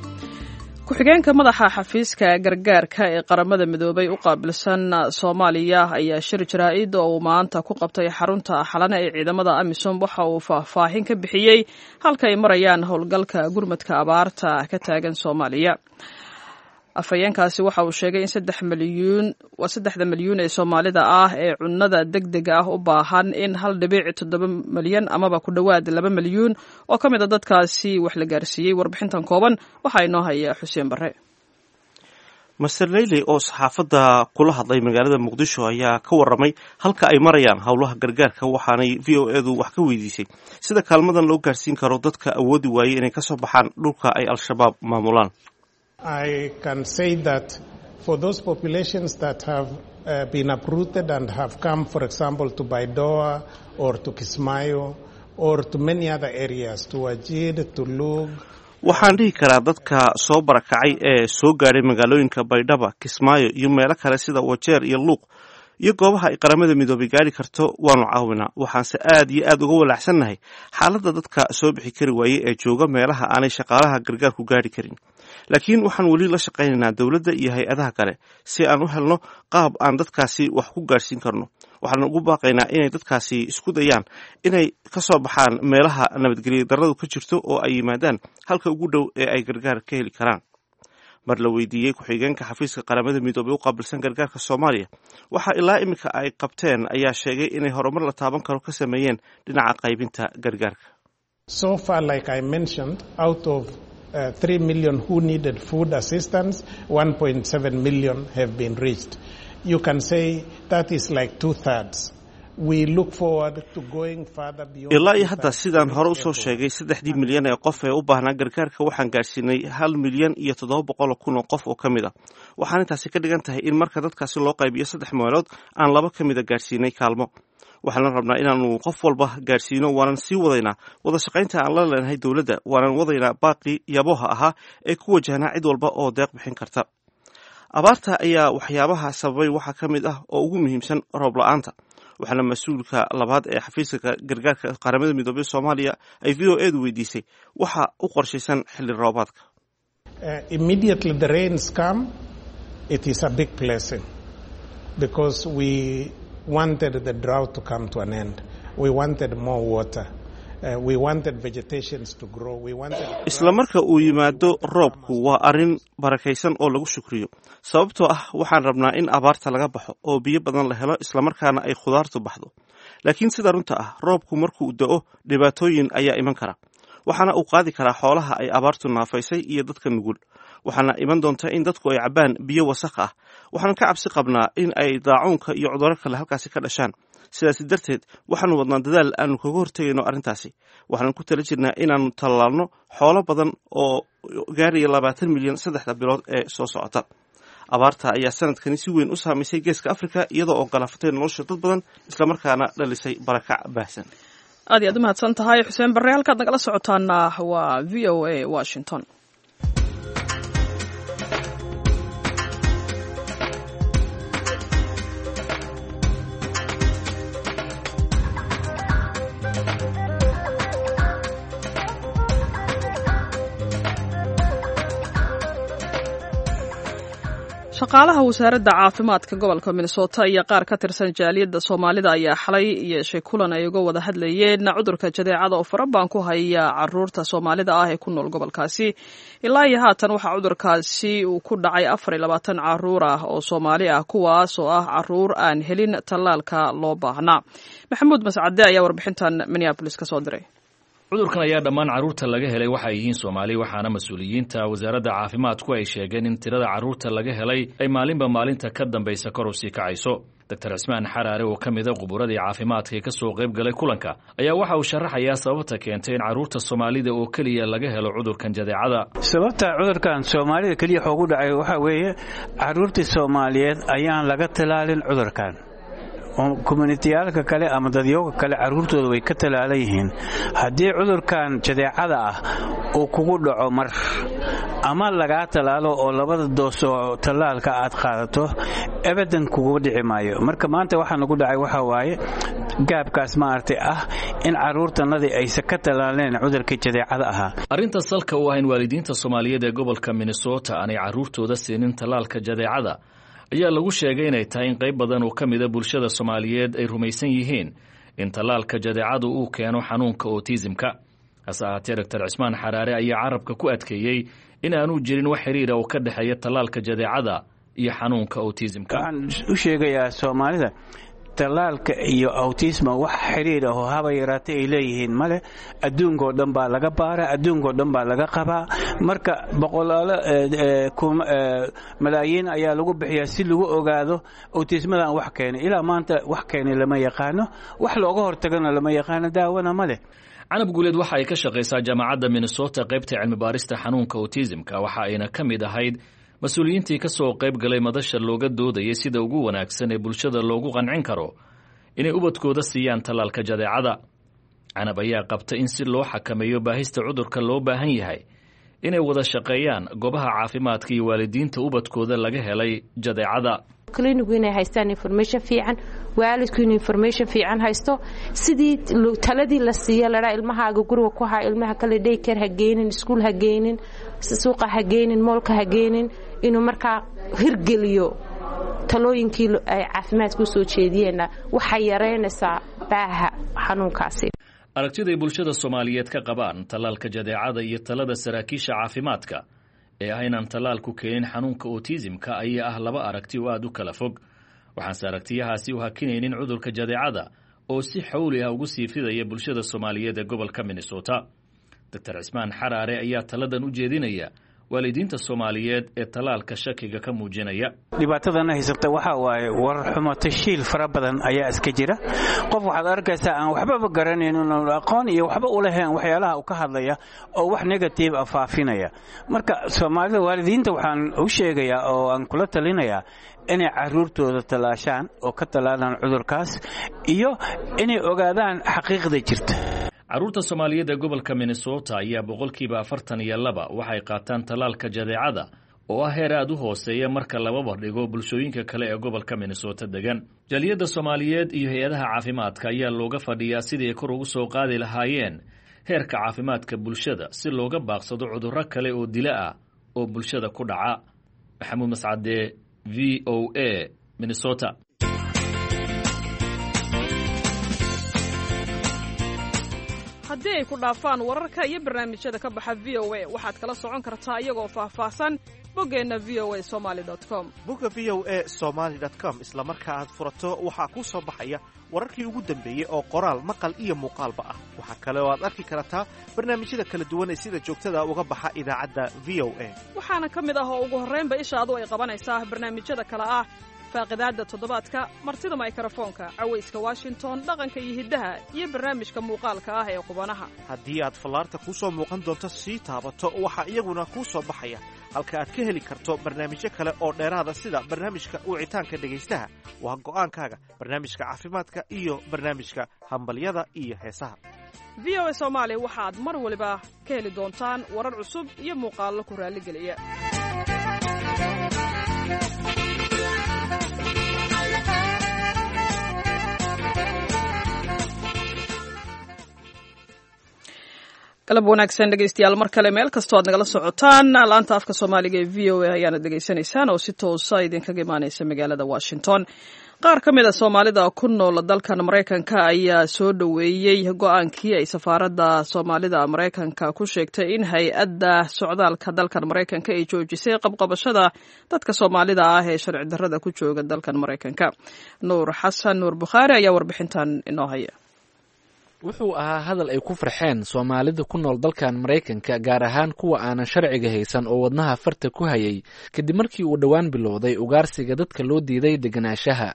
Ku-xigeenka madaxa xafiiska gargaarka ee Qaramada Midoobay u qaabilsan Soomaaliya ayaa shir jaraa'id oo uu maanta ku qabtay xarunta Xalane ee ciidamada AMISOM waxa uu faahfaahin ka bixiyey halka ay marayaan howlgalka gurmadka abaarta ka taagan Soomaaliya. Afhayeenkaasi waxa uu sheegay in saddex milyuun waa saddexda milyuun ee Soomaalida ah ee cunnada degdega ah u baahan in hal dhibic toddoba milyan amaba ku dhowaad laba milyuun oo ka mid a dadkaasi wax la gaarsiiyey. Warbixintan kooban waxaa inoo haya Xuseen Barre. Master Leyley oo saxaafadda kula hadlay magaalada Muqdisho ayaa ka warramay halka ay marayaan howlaha gargaarka, waxaanay V O edu wax ka weydiisay sida kaalmadan loo gaarsiin karo dadka awoodi waayey inay kasoo baxaan dhulka ay Al-Shabaab maamulaan. I can say that for those populations that have uh, been uprooted and have come, for example, to Baidoa or to Kismayo or to many other areas, to Wajir, to Lug. Waxaan dhihi karaa dadka soo barakacay ee soo gaadhay magaalooyinka Baydhaba, Kismaayo iyo meelo kale sida Wajeer iyo Luuq iyo goobaha ay Qaramada Midoobay gaari karto waanu caawinaa. Waxaanse aad iyo aad uga walaacsannahay xaaladda dadka soo bixi kari waayey ee jooga meelaha aanay shaqaalaha gargaarku gaari karin, laakiin waxaan weli la shaqaynaynaa dowladda iyo hay-adaha kale si aan u helno qaab aan dadkaasi wax ku gaadhsiin karno. Waxaan ugu baaqaynaa inay dadkaasi isku dayaan inay ka soo baxaan meelaha nabadgelyo darradu ka jirto oo ay yimaadaan halka ugu dhow ee ay gargaar ka heli karaan. Mar la weydiiyey ku-xigeenka xafiiska Qaramada Midoobay u qaabilsan gargaarka Soomaaliya waxaa ilaa iminka ay qabteen ayaa sheegay inay horumar la taaban karo ka sameeyeen dhinaca qaybinta gargaarka. So far, like I mentioned, out of uh, three million who needed food assistance, one point seven million have been reached. You can say that is like two thirds. Ilaa iyo hadda, sidaan hore usoo sheegay, saddexdii milyan ee qof ee u baahnaa gargaarka waxaan gaadhsiinay hal milyan iyo toddoba boqol kun oo qof oo ka mid a. Waxaan intaasi ka dhigan tahay in marka dadkaasi loo qaybiyo saddex meelood aan laba ka mida gaadhsiinay kaalmo. Waxaan rabnaa inaanu qof walba gaadhsiino, waanan sii wadaynaa wada shaqaynta aan la leenahay dowladda, waanan wadaynaa baaqii yabooha ahaa ee ku wajahnaa cid walba oo deeq bixin karta. Abaarta ayaa waxyaabaha sababay waxaa ka mid ah oo ugu muhiimsan roob la-aanta, waxaana mas-uulka labaad ee xafiiska gargaarka Qaramada Midoobey Soomaaliya ay V O edu weydiisay waxa u qorshaysan xilli roobaadka. Immediately the rains come, it is a big blessing because we wanted the drought to come to an end. We wanted more water. Isla marka uu yimaado roobku waa arrin barakaysan oo lagu shukriyo, sababtoo ah waxaan rabnaa in abaarta laga baxo oo biyo badan la helo, islamarkaana ay khudaartu baxdo. Laakiin sida runta ah, roobku markuu da'o dhibaatooyin ayaa iman kara, waxaana uu qaadi karaa xoolaha ay abaartu naafaysay iyo dadka nugul. Waxaana iman doonta in dadku ay cabbaan biyo wasakh ah. Waxaan ka cabsi qabnaa in ay daacuunka iyo cudurro kale halkaasi ka dhashaan. Sidaasi darteed waxaanu wadnaa dadaal aanu kaga hortegayno arrintaasi. Waxaanu ku tala jirnaa inaannu tallaalno xoolo badan oo gaaraya labaatan milyan saddexda bilood ee soo socota. Abaarta ayaa sanadkani si weyn u saamaysay Geeska Afrika, iyadoo oo galaafatay nolosha dad badan islamarkaana dhalisay barakac baahsan. Aad iyo aad u mahadsan tahay Xuseen Barre. Halkaad nagala socotaana waa V O A Washington. Shaqaalaha wasaaradda caafimaadka gobolka Minnesota iyo qaar ka tirsan jaaliyadda Soomaalida ayaa xalay yeeshay kulan ay uga wada hadlayeen cudurka jadeecada oo farabaan ku haya caruurta Soomaalida ah ee ku nool gobolkaasi. Ilaa iyo haatan waxaa cudurkaasi uu ku dhacay afar iyo labaatan caruur ah oo Soomaali ah, kuwaas oo ah caruur aan helin tallaalka loo baahnaa. Maxamuud Mascade ayaa warbixintan Minneapolis ka soo diray. Cudurkan ayaa dhammaan carruurta laga helay waxay yihiin Soomaali, waxaana mas-uuliyiinta wasaaradda caafimaadku ay sheegeen in tirada carruurta laga helay ay maalinba maalinta ka dambaysa kor u sii kacayso. Doctor Cismaan Xaraare oo ka mida khuburadii caafimaadka ee ka soo qayb galay kulanka ayaa waxa uu sharaxayaa sababta keentay in carruurta Soomaalida oo keliya laga helo cudurkan jadeecada. Sababta cudurkan Soomaalida keliya xoogu dhacay waxaa weeye carruurtii Soomaaliyeed ayaan laga talaalin cudurkan. Communitiyaalka kale ama dadyooga kale carruurtooda way ka talaalan yihiin. Haddii cudurkan jadeecada ah uu kugu dhaco mar ama lagaa talaalo oo labada doos oo tallaalka aad qaadato, abadan kugu dhici maayo. Marka maanta waxaa nagu dhacay waxaa waaye gaabkaas maaragtay ah in carruurtanadii aysan ka talaaleen cudurkii jadeecada ahaa. Arrinta salka u ah in waalidiinta Soomaaliyeed ee gobolka Minnesota aanay carruurtooda siinin tallaalka jadeecada ayaa lagu sheegay inay tahay in qayb badan oo ka mida bulshada Soomaaliyeed ay rumaysan yihiin in tallaalka jadeecadu uu keeno xanuunka otisimka. Hase ahaatee, Doctor Cismaan Xaraare ayaa carabka ku adkeeyey in aanu jirin wax xiriira oo ka dhexeeya tallaalka jadeecada iyo xanuunka otisimka. Waxaan u sheegayaa Soomaalida, tallaalka iyo autisma wax xiriir ah oo haba yaraatay ay leeyihiin male. Adduunkoo dhan baa laga baaraa, adduunkoo dhan baa laga qabaa. Marka boqolaalo malaayiin ayaa lagu bixiyaa si lagu ogaado autismadan wax keenay. Ilaa maanta wax keenay lama yaqaano, wax looga hortagana lama yaqaano, daawana ma leh. Canab Guuleed waxa ay ka shaqaysaa Jaamacadda Minnesota qaybta cilmi baarista xanuunka autismka, waxa ayna ka mid ahayd mas-uuliyiintii ka soo qayb galay madasha looga doodayay sida ugu wanaagsan ee bulshada loogu qancin karo inay ubadkooda siiyaan tallaalka jadeecada. Canab ayaa qabta in si loo xakameeyo baahista cudurka loo baahan yahay inay wada shaqeeyaan goobaha caafimaadka iyo waalidiinta ubadkooda laga helay jadeecada. Clinigu inay haystaan information fiican, waalidku inuu information fiican haysto, sidii taladii la siiya ladhaa ilmahaaga guriga ku haa, ilmaha kale daycare ha geynin, iskuul ha geynin, suuqa ha geynin, moolka ha geynin, inuu markaa hirgeliyo talooyinkii ay caafimaadka u soo jeediyeenna waxay yaraynaysaa baaha xanuunkaasi. Aragtiday bulshada Soomaaliyeed ka qabaan tallaalka jadeecada iyo talada saraakiisha caafimaadka ee ah inaan tallaalku keenin xanuunka otisimka ayaa ah laba aragti oo aada u kala fog. Waxaanse aragtiyahaasi u hakinaynin cudurka jadeecada oo si xawli ah ugu sii fidaya bulshada Soomaaliyeed ee gobolka Minnesota. Doctor Cismaan Xaraare ayaa taladan u jeedinaya waalidiinta Soomaaliyeed ee tallaalka shakiga ka muujinaya. Dhibaatadana haysata waxaa waaye warar xumo tashiil fara badan ayaa iska jira. Qof waxaad arkaysaa aan waxbaba garanaynin, aqoon iyo waxba u lahayn waxyaalaha uu ka hadlaya oo wax negative ah faafinaya. Marka Soomaalida waalidiinta waxaan u sheegayaa oo aan kula talinayaa inay carruurtooda tallaashaan oo ka tallaalaan cudurkaas iyo inay ogaadaan xaqiiqda jirta. Carruurta Soomaaliyeed ee gobolka Minnesota ayaa boqolkiiba afartan iyo laba waxay qaataan tallaalka jadeecada oo ah heer aad u hooseeya marka laba bardhigo bulshooyinka kale ee gobolka Minnesota degan. Jaaliyadda Soomaaliyeed iyo hay-adaha caafimaadka ayaa looga fadhiyaa sidii ay kor ugu soo qaadi lahaayeen heerka caafimaadka bulshada si looga baaqsado cudurro kale oo dila ah oo bulshada ku dhaca. Maxamuud Mascade, V O A, Minnesota. Haddii ay ku dhaafaan wararka iyo barnaamijyada ka baxa V O a, waxaad kala socon kartaa iyagoo faahfaahsan boggeenna V O A somali com. Bogga V O A somaali com isla marka aad furato waxaa kuu soo baxaya wararkii ugu dambeeyey oo qoraal, maqal iyo muuqaalba ah. Waxaa kale oo aad arki kartaa barnaamijyada kala duwan ee sida joogtada uga baxa idaacadda V O A. Waxaana ka mid ah oo ugu horraynba ishaadu ay qabanaysaa barnaamijyada kale ah faaqidaadda toddobaadka, martida maykarafoonka, cawayska Washington, dhaqanka iyo hiddaha, iyo barnaamijka muuqaalka ah ee qubanaha. Haddii aad fallaarta kuu soo muuqan doonto sii taabato, waxaa iyaguna kuu soo baxaya halka aad ka heli karto barnaamijyo kale oo dheeraada sida barnaamijka wicitaanka dhegaystaha, waa go'aankaaga, barnaamijka caafimaadka iyo barnaamijka hambalyada iyo heesaha. V O A Soomaali waxaad mar waliba ka heli doontaan warar cusub iyo muuqaallo ku raalligeliya. Galab wanaagsan dhegeystayaal, mar kale meel kastoo aad nagala socotaan, laanta afka Soomaaliga ee V O A ayaana dhegeysanaysaan oo si toosa idinkaga imaaneysa magaalada Washington. Qaar ka mid a Soomaalida ku nool dalkan Maraykanka ayaa soo dhoweeyey go-aankii ay safaaradda Soomaalida Maraykanka ku sheegtay in hay-adda socdaalka dalkan Maraykanka ay joojisay qabqabashada dadka Soomaalida ah ee sharci darrada ku jooga dalkan Maraykanka. Nuur Xasan Nuur Bukhaari ayaa warbixintan inoo haya. Wuxuu ahaa hadal ay ku farxeen Soomaalida ku nool dalkan Maraykanka, gaar ahaan kuwa aanan sharciga haysan oo wadnaha farta ku hayay kadib markii uu dhowaan bilowday ugaarsiga dadka loo diiday deganaanshaha.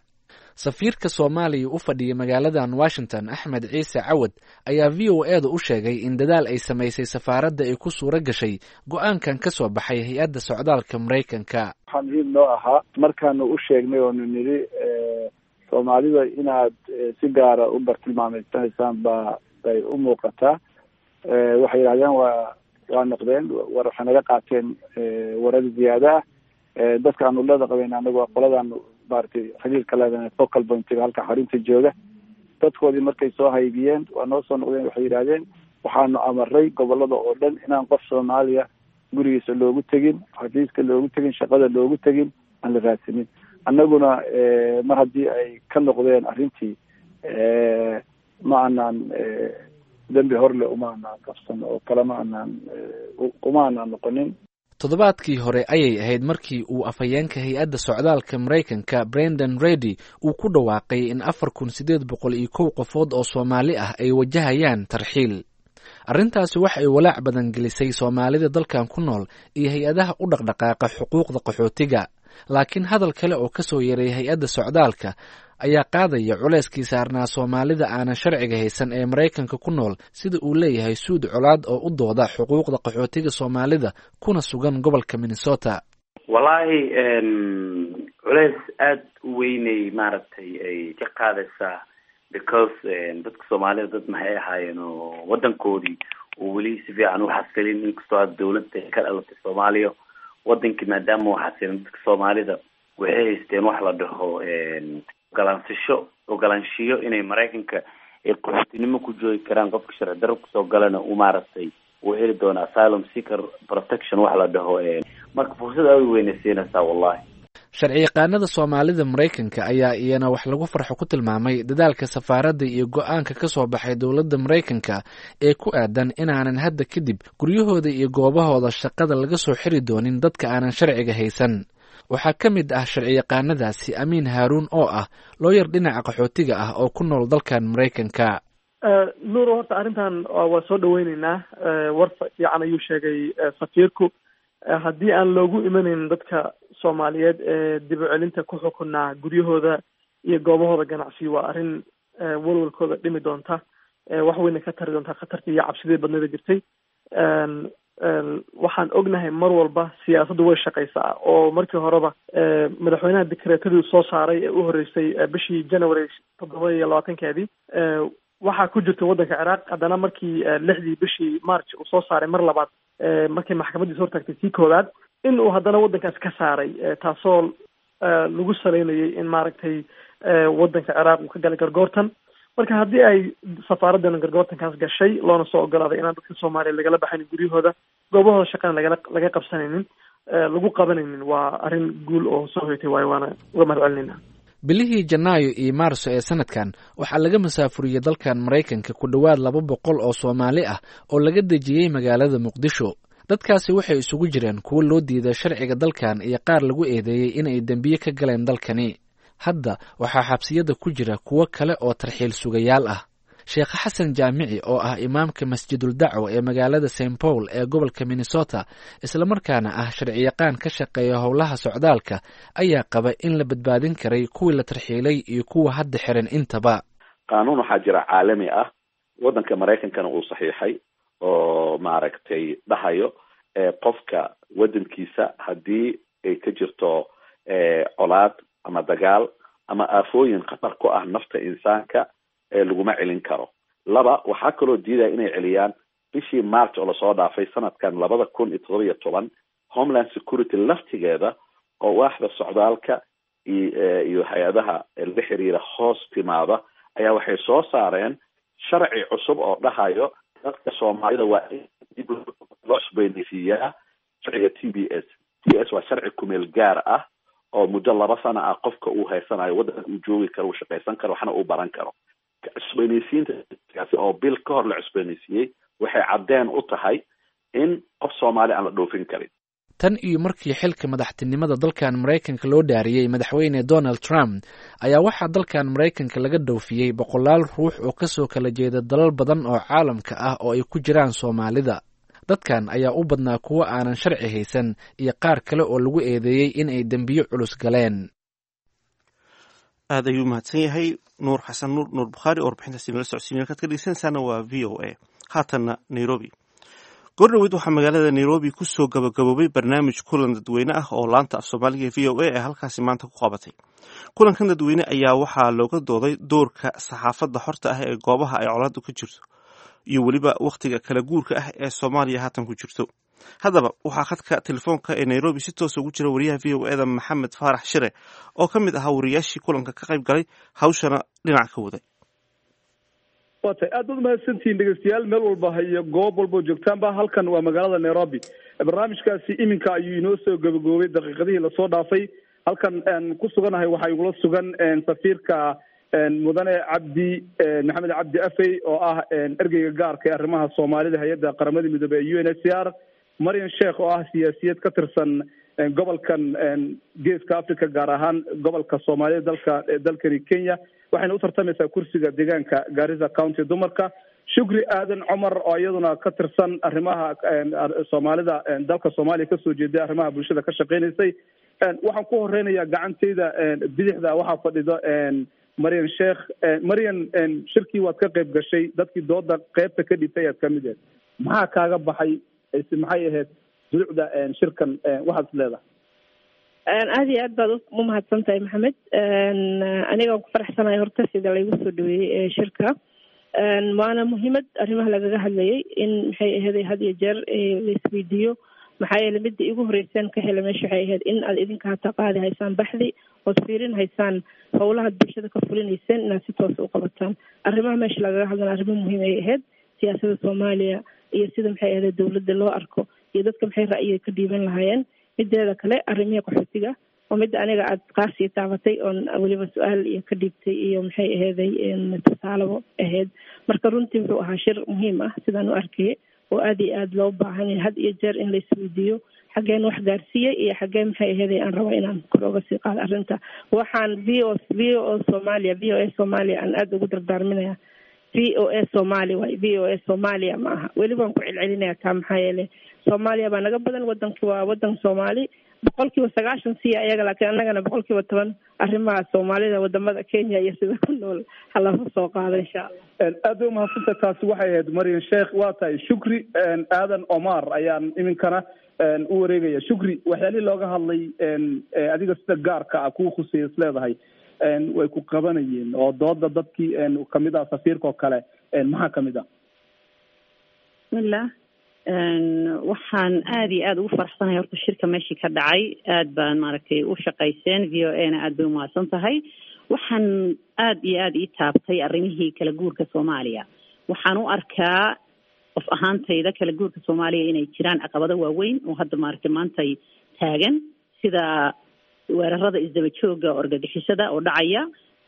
Safiirka Soomaaliya u fadhiya magaaladan Washington, Axmed Ciise Cawad, ayaa V O A da u sheegay in dadaal ay samaysay safaaradda ay ku suura gashay go-aankan ka soo baxay hay-adda socdaalka Maraykanka. Waxaa muhiim noo ahaa markaanu u sheegnay oonu nidhi Soomaalida inaad si gaara u bartilmaameysanaysaan baa bay u muuqataa. Waxay yidhahdeen waa waa noqdeen war, waxay naga qaateen warar ziyaada ah. Dadka aanu leeda qabeyn anagu waa qoladaanu maaragtay xiriirka leedahay focal pointiga halka xarunta jooga. Dadkoodii markay soo haybiyeen waa noo soo noqdeen, waxay yidhahdeen waxaanu amaray gobolada oo dhan inaan qof Soomaaliya gurigiisa loogu tegin, xafiiska loogu tegin, shaqada loogu tegin, aan la raadsanin. Annaguna mar haddii ay ka noqdeen arrintii, ma aanaan dembi horle uma aanaan qabsan oo kale ma aanaan uma aanaan noqonin. Toddobaadkii hore ayay ahayd markii uu afhayeenka hay-adda socdaalka Maraykanka, Brendan Redy, uu ku dhawaaqay in afar kun sideed boqol iyo kow qofood oo Soomaali ah ay wajahayaan tarxiil. Arrintaasi waxa ay walaac badan gelisay Soomaalida dalkan ku nool iyo hay-adaha u dhaqdhaqaaqa xuquuqda qaxootiga. Laakiin hadal kale oo ka soo yeeray hay-adda socdaalka ayaa qaadaya culayskii saarnaa Soomaalida aanan sharciga haysan ee Maraykanka ku nool, sida uu leeyahay Suud Colaad oo u dooda xuquuqda qaxootiga Soomaalida kuna sugan gobolka Minnesota. Wallaahi culays aada u weynay maaragtay ay ka qaadaysaa, because dadka Soomaalida dad maxay ahaayeen oo wadankoodii oo weli si fiican u xasilin, inkastoo aada dawladda ka dhalatay Soomaaliya. Wadankii maadaama uu xasilin, dadka Soomaalida waxay haysteen wax la dhaho ogolaansasho, ogolaanshiyo inay Maraykanka ay qaxootinimo ku joogi karaan. Qofka sharci darro kusoo galana uu maaragtay uu heli doono asylum seeker protection wax la dhaho. Marka fursad aada u weynay siinaysaa wallahi. Sharciyaqaanada Soomaalida Maraykanka ayaa iyana wax lagu farxo ku tilmaamay dadaalka safaaradda iyo go-aanka ka soo baxay dowladda Maraykanka ee ku aadan inaanan hadda kadib guryahooda iyo goobahooda shaqada laga soo xiri doonin dadka aanan sharciga haysan. Waxaa ka mid ah sharciyaqaanadaasi Amiin Haaruun oo ah looyar dhinaca qaxootiga ah oo ku nool dalkan Maraykanka. Nuuro, horta arrintan waa soo dhaweyneynaa. War fiican ayuu sheegay safiirku. Haddii aan loogu imanaynin dadka Soomaaliyeed ee dib u celinta ku xukunaa guryahooda iyo goobahooda ganacsi, waa arrin walwalkooda dhimi doonta, wax weyna ka tari doonta khatartii iyo cabsidii badnida jirtay. Waxaan ognahay mar walba siyaasaddu way shaqaysaa, oo markii horeba madaxweynaha dikreetadii soo saaray ee u horreysay bishii January toddoba iyo labaatankeedii waxaa ku jirta waddanka Ciraaq. Haddana markii lixdii bishii March uu soo saaray mar labaad, markii maxkamadiisa hortaagtay tii koowaad, in uu haddana waddankaas ka saaray, taasoo lagu saleynayay in maaragtay waddanka Ciraaq uu ka galay gargoortan. Marka haddii ay safaaraddan gargoortankaas gashay, loona soo ogolaaday inaan dadka Soomaaliya lagala baxaynin guryahooda, goobahooda shaqana lagala laga qabsanaynin, lagu qabanaynin, waa arrin guul oo soo hoytay waayo, waana uga mahad celinayna. Bilihii Janaayo iyo Maarso ee sanadkan waxaa laga masaafuriyey dalkan Maraykanka ku dhowaad laba boqol oo Soomaali ah oo laga dejiyey magaalada Muqdisho. Dadkaasi waxay isugu jireen kuwo loo diiday sharciga dalkan iyo qaar lagu eedeeyey inay dembiye ka galeen dalkani. Hadda waxaa xabsiyada ku jira kuwo kale oo tarxiil sugayaal ah. Sheekh Xasan Jaamici oo ah imaamka Masjidul Dacwo ee magaalada Saint Paul ee gobolka Minnesota, islamarkaana ah sharciyaqaan ka shaqeeya howlaha socdaalka, ayaa qaba in la badbaadin karay kuwii la tarxiilay iyo kuwa hadda xiran intaba. Qaanuun waxaa jira caalami ah, waddanka Maraykankana uu saxiixay, oo maaragtay dhahayo qofka waddankiisa haddii ay ka jirto colaad ama dagaal ama aafooyin khatar ku ah nafta insaanka laguma celin karo. Laba, waxaa kaloo diidaya inay celiyaan bishii March oo lasoo dhaafay sanadkan labada kun iyo todoba iyo toban, Homeland Security laftigeeda oo waaxda socdaalka iyo hay-adaha la xiriira hoos timaada ayaa waxay soo saareen sharci cusub oo dhahayo Dadka Soomaalida waa in dib loo cusboonaysiiyaa sharciga T B S. T B S waa sharci kumeel gaar ah oo muddo laba sano ah qofka uu haysanayo, waddanka uu joogi karo, uu shaqaysan karo, waxna uu baran karo. Cusboonaysiinta oo bil ka hor la cusboonaysiiyey waxay caddeen u tahay in qof Soomaali aan la dhoofin karin. Tan iyo markii xilka madaxtinimada dalkan Maraykanka loo dhaariyey madaxweyne Donald Trump ayaa waxaa dalkan Maraykanka laga dhoofiyey boqolaal ruux oo kasoo kala jeeda dalal badan oo caalamka ah oo ay ku jiraan Soomaalida. Dadkan ayaa u badnaa kuwo aanan sharci haysan iyo qaar kale oo lagu eedeeyey in ay dembiyo culus galeen. Aad ayuu mahadsan yahay Nuur Xasan Nuur, Nuur Bukhaari, oo warbixintaasi nala socodsiinay. Halkaad ka dhegeysanaysaana waa V O A. Haatanna Nairobi. Goordhoweyd waxaa magaalada Nairobi ku soo gabagaboobay barnaamij kulan dadweyne ah oo laanta af Soomaaliga ee V O A ee halkaasi maanta ku qabatay. Kulankan dadweyne ayaa waxaa looga dooday doorka saxaafadda xorta ah ee goobaha ay colaaddu ka jirto iyo weliba wakhtiga kala guurka ah ee Soomaaliya haatan ku jirto. Haddaba waxaa khadka telefoonka ee Nairobi si toosa ugu jira wariyaha V O A da Maxamed Faarax Shire oo ka mid ahaa wariyaashii kulanka ka qayb galay, hawshana dhinac ka waday. Waa tahay, aad baad umahadsantihiin dhegeystayaal meel walba iyo goob walba oo joogtaanba. Halkan waa magaalada Nairobi. Barnaamijkaasi iminka ayuu inoo soo gabagaboobay daqiiqadihii lasoo dhaafay. Halkan ku suganahay waxaa igula sugan safiirka mudane Cabdi Maxamed Cabdi Afey oo ah ergeyga gaarka ee arrimaha Soomaalida hay-adda Qaramada Midoobey ee U N H C R, Marian Sheekh oo ah siyaasiyad ka tirsan gobolkan Geeska Africa, gaar ahaan gobolka Soomaalida dalka dalkani Kenya, waxayna u tartamaysaa kursiga deegaanka Garissa County dumarka, Shukri Aadan Cumar oo iyaduna ka tirsan arrimaha Soomaalida dalka Soomaaliya kasoo jeeday, arrimaha bulshada ka shaqeynaysay. Waxaan ku horeynayaa gacanteyda bidixda waxaa fadhida Marian Sheekh. Marian, shirkii waad ka qayb gashay, dadkii dooda qeybta ka dhibtay ayaad kamid ahayd. Maxaa kaaga baxay? Maxay ahayd durucda shirkan waxaad is leedahay? Aada iyo aad baad u mahadsan tahay, Maxamed. Aniga waan ku faraxsanahay horta sida laygu soo dhaweeyey shirka, waana muhiimad arrimaha lagaga hadlayay in maxay aheeday had iyo jeer laisweydiiyo. Maxaa yeele midda igu horeyseen ka hela meesha waxay ahayd in aad idinka hataa qaadi haysaan baxdi ood fiirin haysaan howlahaad bulshada ka fulinayseen inaad si toosa u qabataan. Arrimaha meesha lagaga hadlana arrimo muhiim ay ahayd, siyaasada Soomaaliya iyo sida maxay ahayd dowladda loo arko iyo dadka maxay ra'yiga ka dhiiban lahaayeen. Mideeda kale arrimihii qaxootiga oo midda aniga aad qaasii taabatay oon weliba su-aal iyo ka dhiibtay iyo maxay aheeday tusaalabo ahayd. Marka runtii wuxuu ahaa shir muhiim ah sidaan u arkayay oo aada iyo aada loo baahan yahay had iyo jeer in la isweydiiyo xaggeen wax gaarsiiyey iyo xaggeen maxay aheeday aan rabo inaan kor oga sii qaado arrinta. Waxaan v o V O Soomaaliya, V O A Soomaaliya aan aada ugu dardaarminaya. V O A Soomaali waay, V O A Soomaaliya ma aha. Weli waan ku celcelinaya taa, maxaa yeele Soomaaliya baa naga badan, wadanki waa wadan Soomaali boqol kiiba sagaashan siya ayaga, laakiin annagana boqol kiiba toban arrimaha Soomaalida wadamada Kenya iyo sida ku nool halala soo qaado insha Allah. Aad bay umahadsantahay. Taasi waxay ahayd Marian Sheekh. Waa tahay, Shukri Aadan Omar ayaan iminkana u wareegaya. Shukri, waxyaalihii looga hadlay adiga sida gaarka ah kuwa khuseeya is leedahay way ku qabanayeen oo dooda dadkii kamid ah safiirka oo kale maxaa kamid ah? Bismillah, waxaan aada iyo aada ugu faraxsanahay horta shirka meeshii ka dhacay. Aad baan maaragtay u shaqayseen, V O A na aad bay umahadsan tahay. Waxaan aada iyo aada ii taabtay arrimihii kala guurka Soomaaliya. Waxaan u arkaa qof ahaantayda kala guurka Soomaaliya inay jiraan caqabado waaweyn oo hadda maaragtay maantay taagan, sida weerarada isdaba jooga argagixisada oo dhacaya,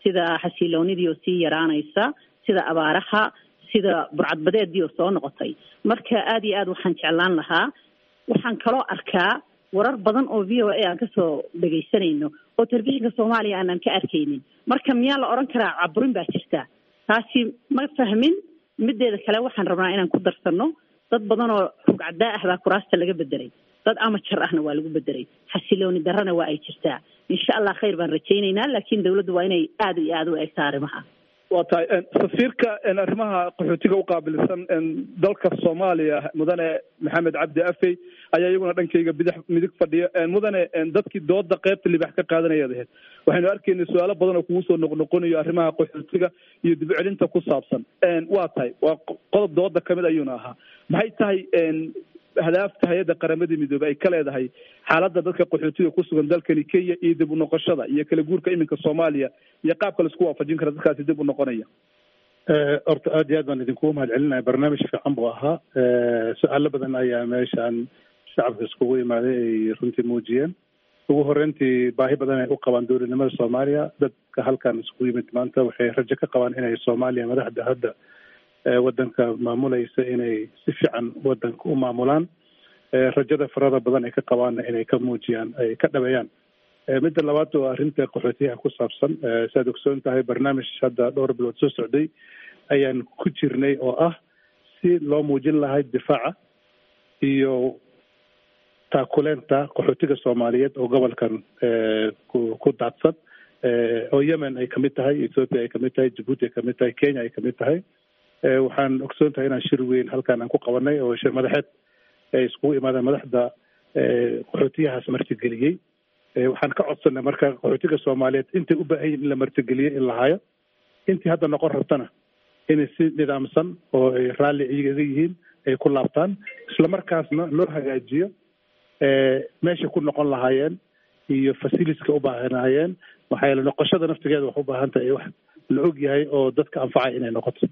sida xasiloonidii oo sii yaraanaysa, sida abaaraha, sida burcadbadeedii oo soo noqotay. Marka aada iyo aad waxaan jeclaan lahaa, waxaan kaloo arkaa warar badan oo V O A aan kasoo dhegaysanayno oo telefishinka Soomaaliya aanan ka arkaynin. Marka miyaa la odhan karaa caburin baa jirta? Taasi ma fahmin. Mideeda kale waxaan rabnaa inaan ku darsano dad badan oo rugcadaa ah baa kuraasta laga bedelay, dad amajar ahna waa lagu bedelay, xasilooni darrana waa ay jirtaa. Insha Allah khayr baan rajaynaynaa, laakiin dawladdu waa inay aada iyo aada u eegtaa arrimaha. Waa tahay, safiirka arrimaha qaxootiga u qaabilsan dalka Soomaaliya mudane Maxamed Cabdi Afey ayaa iyaguna dhankayga bidix midig fadhiya. Mudane, dadkii dooda qeybta libax ka qaadanayaad ahayd, waxaynu arkaynay su-aalo badan oo kugu soo noqnoqonayo arrimaha qaxootiga iyo dib u celinta ku saabsan. Waa tahay, waa qodob dooda kamid ayuuna ahaa. Maxay tahay hadaafta hay-adda Qaramada Midoobey ay ka leedahay xaaladda dadka qaxootiga ku sugan dalkani Kenya iyo dib u noqoshada iyo kala guurka iminka Soomaaliya iyo qaabka laisku waafajin kara dadkaasi dib u noqonaya? Horta aad iyo aad baan idinkugu mahad celinaya, barnaamij fiican buu ahaa. Su-aalo badan ayaa meeshaan shacabka iskugu imaaday ay runtii muujiyeen. Ugu horreyntii baahi badan ay u qabaan dowladnimada Soomaaliya. Dadka halkan iskugu yimid maanta waxay rajo ka qabaan inay Soomaaliya madaxda hadda waddanka maamulaysa inay si fiican waddanka u maamulaan, rajada farada badan ay ka qabaanna inay ka muujiyaan, ay ka dhabeeyaan. Midda labaad waa arrinta qaxootiyaha ku saabsan. Siaad ogsoon tahay, barnaamij hadda dhowr bilood soo socday ayaan ku jirnay oo ah si loo muujin lahay difaaca iyo taakuleenta qaxootiga Soomaaliyeed oo gobolkan ku daadsan, oo Yemen ay kamid tahay, Ethiopia ay kamid tahay, Djibouti ay kamid tahay, Kenya ay kamid tahay. Waxaan ogsoon tahay inaan shir weyn halkan aan ku qabanay oo shir madaxeed ay iskugu imaadeen madaxda qaxootiyahaas martigeliyey. Waxaan ka codsanay marka qaxootiga Soomaaliyeed intay u baahan yihin in la martigeliyo in la hayo, intii hadda noqon rabtana inay si nidaamsan oo ay raalli iyaga yihiin ay ku laabtaan, isla markaasna loo hagaajiyo meeshay ku noqon lahaayeen iyo facilitieska u baahanaayeen. Maxaa yeele noqoshada naftigeeda wax u baahan tahay wax la og yahay oo dadka anfacay inay noqoto.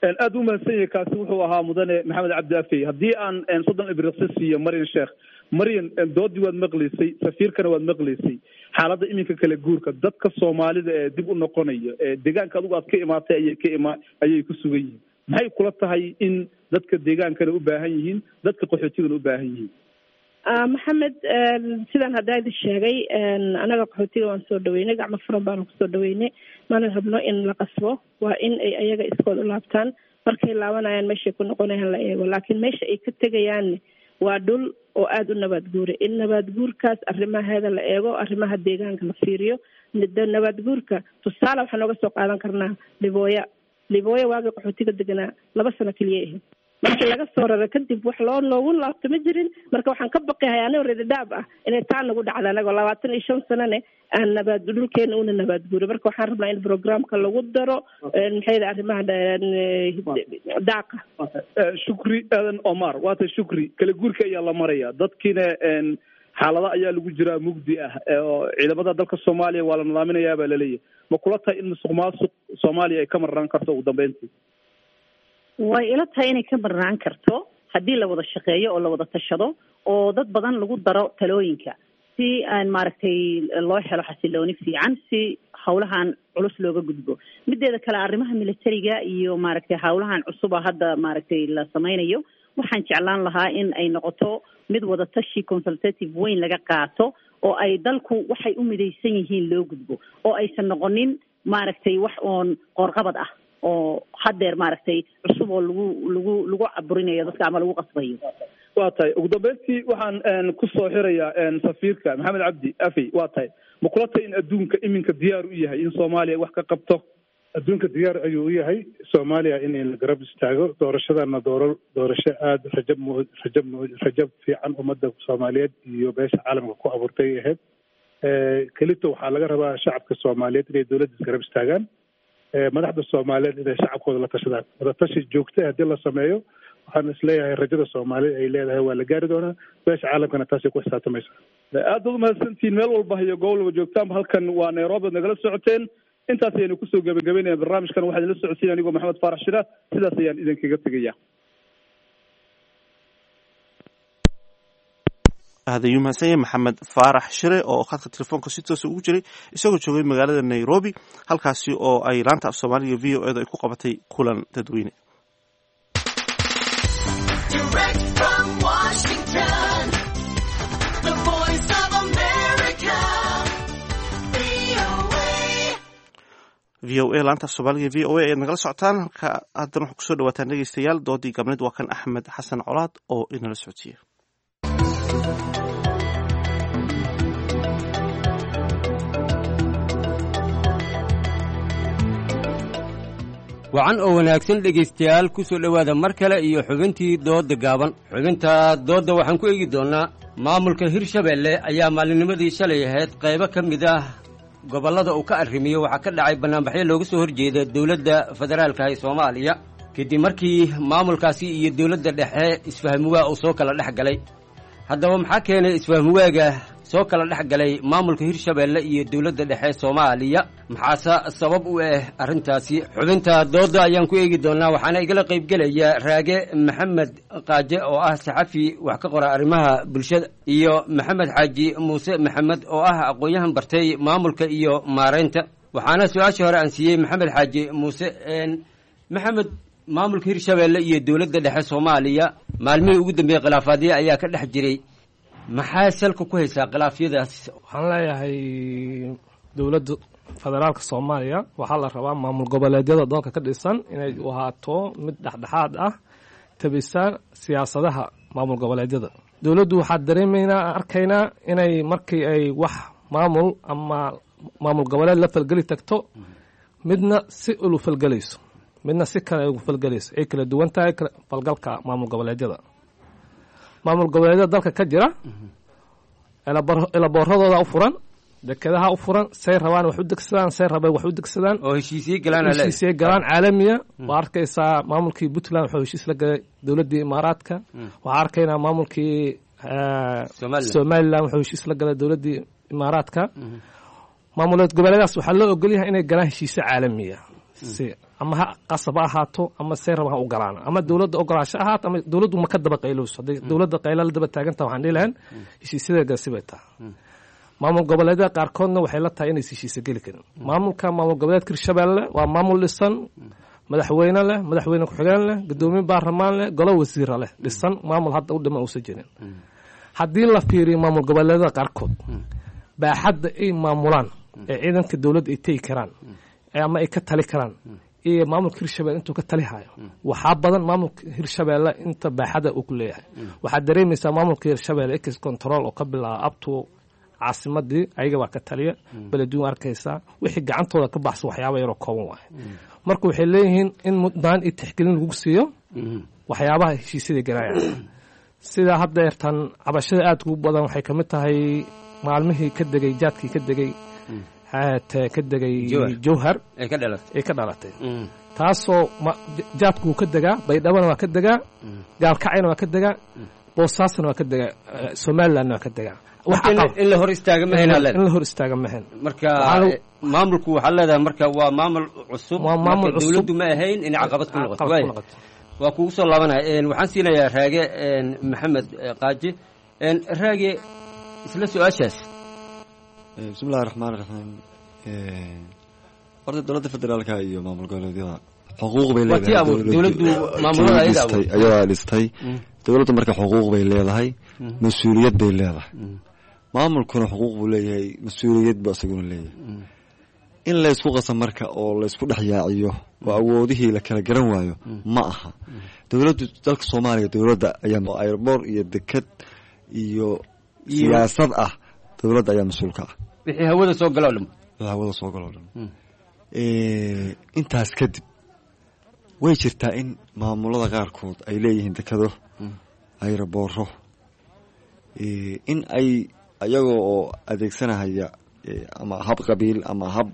Aad u mahadsan yahay. Kaasi wuxuu ahaa mudane Maxamed Cabdi Afey. Haddii aan soddon ibriqsi siiyo Maryan Sheekh. Maryan, doodii waad maqlaysay, safiirkana waad maqlaysay. Xaaladda iminka kala guurka dadka Soomaalida ee dib u noqonayo ee deegaanka adigu aad ka imaatay ayay ka ima ayay ku sugan yihiin, maxay kula tahay in dadka deegaankana u baahan yihiin, dadka qaxootigana u baahan yihiin? Maxamed, sidaan haddaa idin sheegay, anaga qaxootiga waan soo dhaweynay, gacmo furan baanu kusoo dhaweynay. Mana rabno in la qasbo, waa in ay ayaga iskood u laabtaan. Markay laabanayaan meeshay ku noqonayaan la eego, laakiin meesha ay ka tegayaann waa dhul oo aada u nabaad guura. In nabaad guurkaas arrimaheeda la eego, arrimaha deegaanka la fiiriyo. Nabaad guurka tusaale waxaan nooga soo qaadan karnaa Libooya. Libooya waagii qaxootiga deganaa laba sano keliya ahayd. Markii laga soo rara kadib wax loo noogu laabto ma jirin. Marka waxaan ka baqahay anigoo reerdhaab ah inay taa nagu dhacda, anagoo labaatan iyo shan sanane aan nabaad dhulkeena una nabaad guuro. Marka waxaan rabnaa in programka lagu daro maxay arrimaha daaqa. Shukri Aadan Omar, waata Shukri, kala guurka ayaa la maraya, dadkiina xaalado ayaa lagu jiraa mugdi ah, oo ciidamada dalka Soomaaliya waa la nidaaminayaa baa laleeyahay. Ma kula tahay in musuq maasuq Soomaaliya ay ka marnaan karto ugu dambeyntii? Way ila tahay inay ka marnaan karto haddii la wada shaqeeyo oo la wada tashado oo dad badan lagu daro talooyinka, si aan maaragtay loo helo xasilooni fiican, si hawlahan culus looga gudbo. Mideeda kale, arrimaha militariga iyo maaragtay hawlahan cusuba hadda maaragtay la sameynayo, waxaan jeclaan lahaa in ay noqoto mid wada tashi consultative weyn laga qaato, oo ay dalku waxay u midaysan yihiin loo gudbo, oo aysan noqonin maaragtay wax oon qoorqabad ah oo haddeer maaragtay cusub oo lagu lagu lagu caburinayo dadka ama lagu qasbayo. Waa tahay. Ugu dambeyntii waxaan kusoo xirayaa safiirka Maxamed Cabdi Afey. Waa tahay, ma kula tahay in adduunka iminka diyaar u yahay in Soomaaliya wax ka qabto? Adduunka diyaar ayuu u yahay Soomaaliya in la garab istaago. Doorashadana dooro doorasho aada rajab mu rajab mu rajab fiican ummadda Soomaaliyeed iyo beesha caalamka ku abuurtay ahayd. Kelito waxaa laga rabaa shacabka Soomaaliyeed inay dowladda isgarab istaagaan, madaxda Soomaaliyeed inay shacabkooda la tashadaan. Wadatashi joogta haddii la sameeyo, waxaan isleeyahay rajada Soomaalida ay leedahay waa la gaari doonaa, beesha caalamkana taasay ku xisaabtamaysa. Aad baad umahadsantihiin meel walba iyo goob walba joogtaanba. Halkan waa Nairobi oad nagala socoteen. Intaas ayaynu kusoo gebagabeynaya barnaamijkan. Waxaa idinla socodsiin anigoo Maxamed Faarax Shira. Sidaas ayaan idinkaga tegaya. Aad ayuu mahadsan yahay Maxamed Faarax Shire oo khadka telefoonka si toosa ugu jiray isagoo joogay magaalada Nairobi, halkaasi oo ay laanta af Soomaaliga V O E da ay ku qabatay kulan dadweyne. V O A, laanta af Soomaaliga V O A ayaad nagala socotaan. Halka haddana waxaa kusoo dhawaataan dhegeystayaal doodii gabneed. Waa kan Axmed Xasan Colaad oo inala socodsiiya. Wacan oo wanaagsan dhegaystayaal, ku soo dhowaada mar kale iyo xubintii doodda gaaban. Xubinta doodda waxaan ku eegi doonnaa maamulka Hirshabeelle ayaa maalinimadii shalay ahayd qaybo ka mid ah gobollada uu ka arrimiyo waxaa ka dhacay bannaanbaxyo looga soo horjeeda dowladda federaalka ee Soomaaliya, kadib markii maamulkaasi iyo dowladda dhexe isfahmuwaa uu soo kala dhex galay. Haddaba maxaa keenay isfahmuwaaga soo kala dhex galay maamulka Hirshabeelle iyo dowladda dhexe Soomaaliya. Maxaase sabab u ah arrintaasi? Xubinta doodda ayaan ku eegi doonaa, waxaana igala qaybgelaya Raage Maxamed Qaaje oo ah saxafi wax ka qora arrimaha bulshada, iyo Maxamed Xaaji Muuse Maxamed oo ah aqoon-yahan bartay maamulka iyo maareynta. Waxaana su-aashii hore aan siiyey Maxamed Xaaji Muuse. Maxamed, maamulka Hirshabeelle iyo dowladda dhexe Soomaaliya maalmihii ugu dambeeyey khilaafaadyo ayaa ka dhex jiray, maxaa salka ku haysaa khilaafyadaas? Waxaan leeyahay dowladda federaalka Soomaaliya waxaa la rabaa maamul goboleedyada dalka ka dhisan inay u ahaato mid dhexdhexaad ah, tabisa siyaasadaha maamul goboleedyada. Dowladdu waxaa dareemaynaa, arkaynaa inay markii ay wax maamul ama maamul goboleed la falgeli tagto, midna si ulu falgelayso, midna si kale ugu falgelayso, ay kala duwan tahay falgalka maamul goboleedyada. Maamul goboleedyada dalka ka jira elabooradooda u furan, dekedaha u furan, say rabaan wax u degsadaan, say rabeen wax u degsadaan, oo heshiisye galaan, heshiisye galaan caalamiya. Waa arkaysaa maamulkii Puntland wuxuu heshiis la galay dowladdii Imaaraadka. Waxaa arkaynaa maamulkii Somaliland wuxuu heshiis la galay dowladdii Imaaraadka. Maamuleed goboleedaas waxaa loo ogolyahay inay galaan heshiisyo caalamiya, si ama ha qasab ha ahaato ama say rabaan ha u galaan, ama dowladda ogolaansho ahaato ama dowladdu ma ka daba qaylowso. Hadday dowladda qayla la daba taagantaha, waxaan dhihi lahayn heshiisyada galsi bay tahay. Maamul goboleedyada qaarkoodna waxay la tahay inaysa heshiisa geli karin. Maamulka maamul goboleedka Hirshabeelle waa maamul dhisan, madaxweyne leh, madaxweyne ku-xigeen leh, guddoomiye baarlamaan leh, golo wasiira leh, dhisan, maamul hadda u dhiman uusan jirin. Haddii la fiiriyo maamul goboleedyada qaarkood baaxadda ay maamulaan ee ciidanka dowladda ay tegi karaan ama ay ka tali karaan iyo maamulka Hirshabelle intuu ka tali hayo, waxaa badan maamulka Hirshabeelle inta baaxada uu ku leeyahay. Waxaad dareemaysaa maamulka Hirshabelle ex control oo ka bilaaba abto caasimadii ayaga baa ka taliya beleduun, arkaysaa wixii gacantooda ka baxsan waxyaaba yaroo kooban waaye. Marka waxay leeyihiin in mudnaan iyo tixgelin lagu siiyo waxyaabaha heshiisyada galaaya. Sida haddeertan cabashada aada ugu badan waxay kamid tahay maalmihii ka degay jaadkii ka degay ka degay Jowhar ay ka dhalatay, taasoo jaadku wuu ka degaa, Baydhabana waa ka degaa, Gaalkacayna waa ka degaa, Boosaasna waa ka degaa, Somalilandna waa ka degaa. In la hor istaaga mahayn, in la hor istaaga mahayn. Marka maamulku waxaa leedahay marka waa maamul cusub, waa maamul cusub, dowladdu ma ahayn inay caqabad ku noqoto. Waa kugu soo laabanaya. Waxaan siinayaa Raage Maxamed Qaaji. Raage, isla su-aashaas. Bismillahi raxmaan raxiim. Horta dowladda federaalka iyo maamul goboleedyada xuquuq bay leedahay, ayadaa dhistay dowladdu. Marka xuquuq bay leedahay, mas-uuliyad bay leedahay. Maamulkuna xuquuq buu leeyahay, mas-uuliyad buu isaguna leeyahay. In laysku qaso marka oo laysku dhex yaaciyo oo awoodihii la kala garan waayo ma aha. Dowladdu dalka Soomaaliya dowladda ayaa airboor iyo deked iyo siyaasad ah, dowladda ayaa mas-uul ka ah wixii hawada soo galo o dhan. Wixii hawada soo galo o dhan. Intaas kadib way jirtaa in maamulada qaarkood ay leeyihiin dekado, ayrabooro, in ay ayagoo oo adeegsanahaya ama hab qabiil ama hab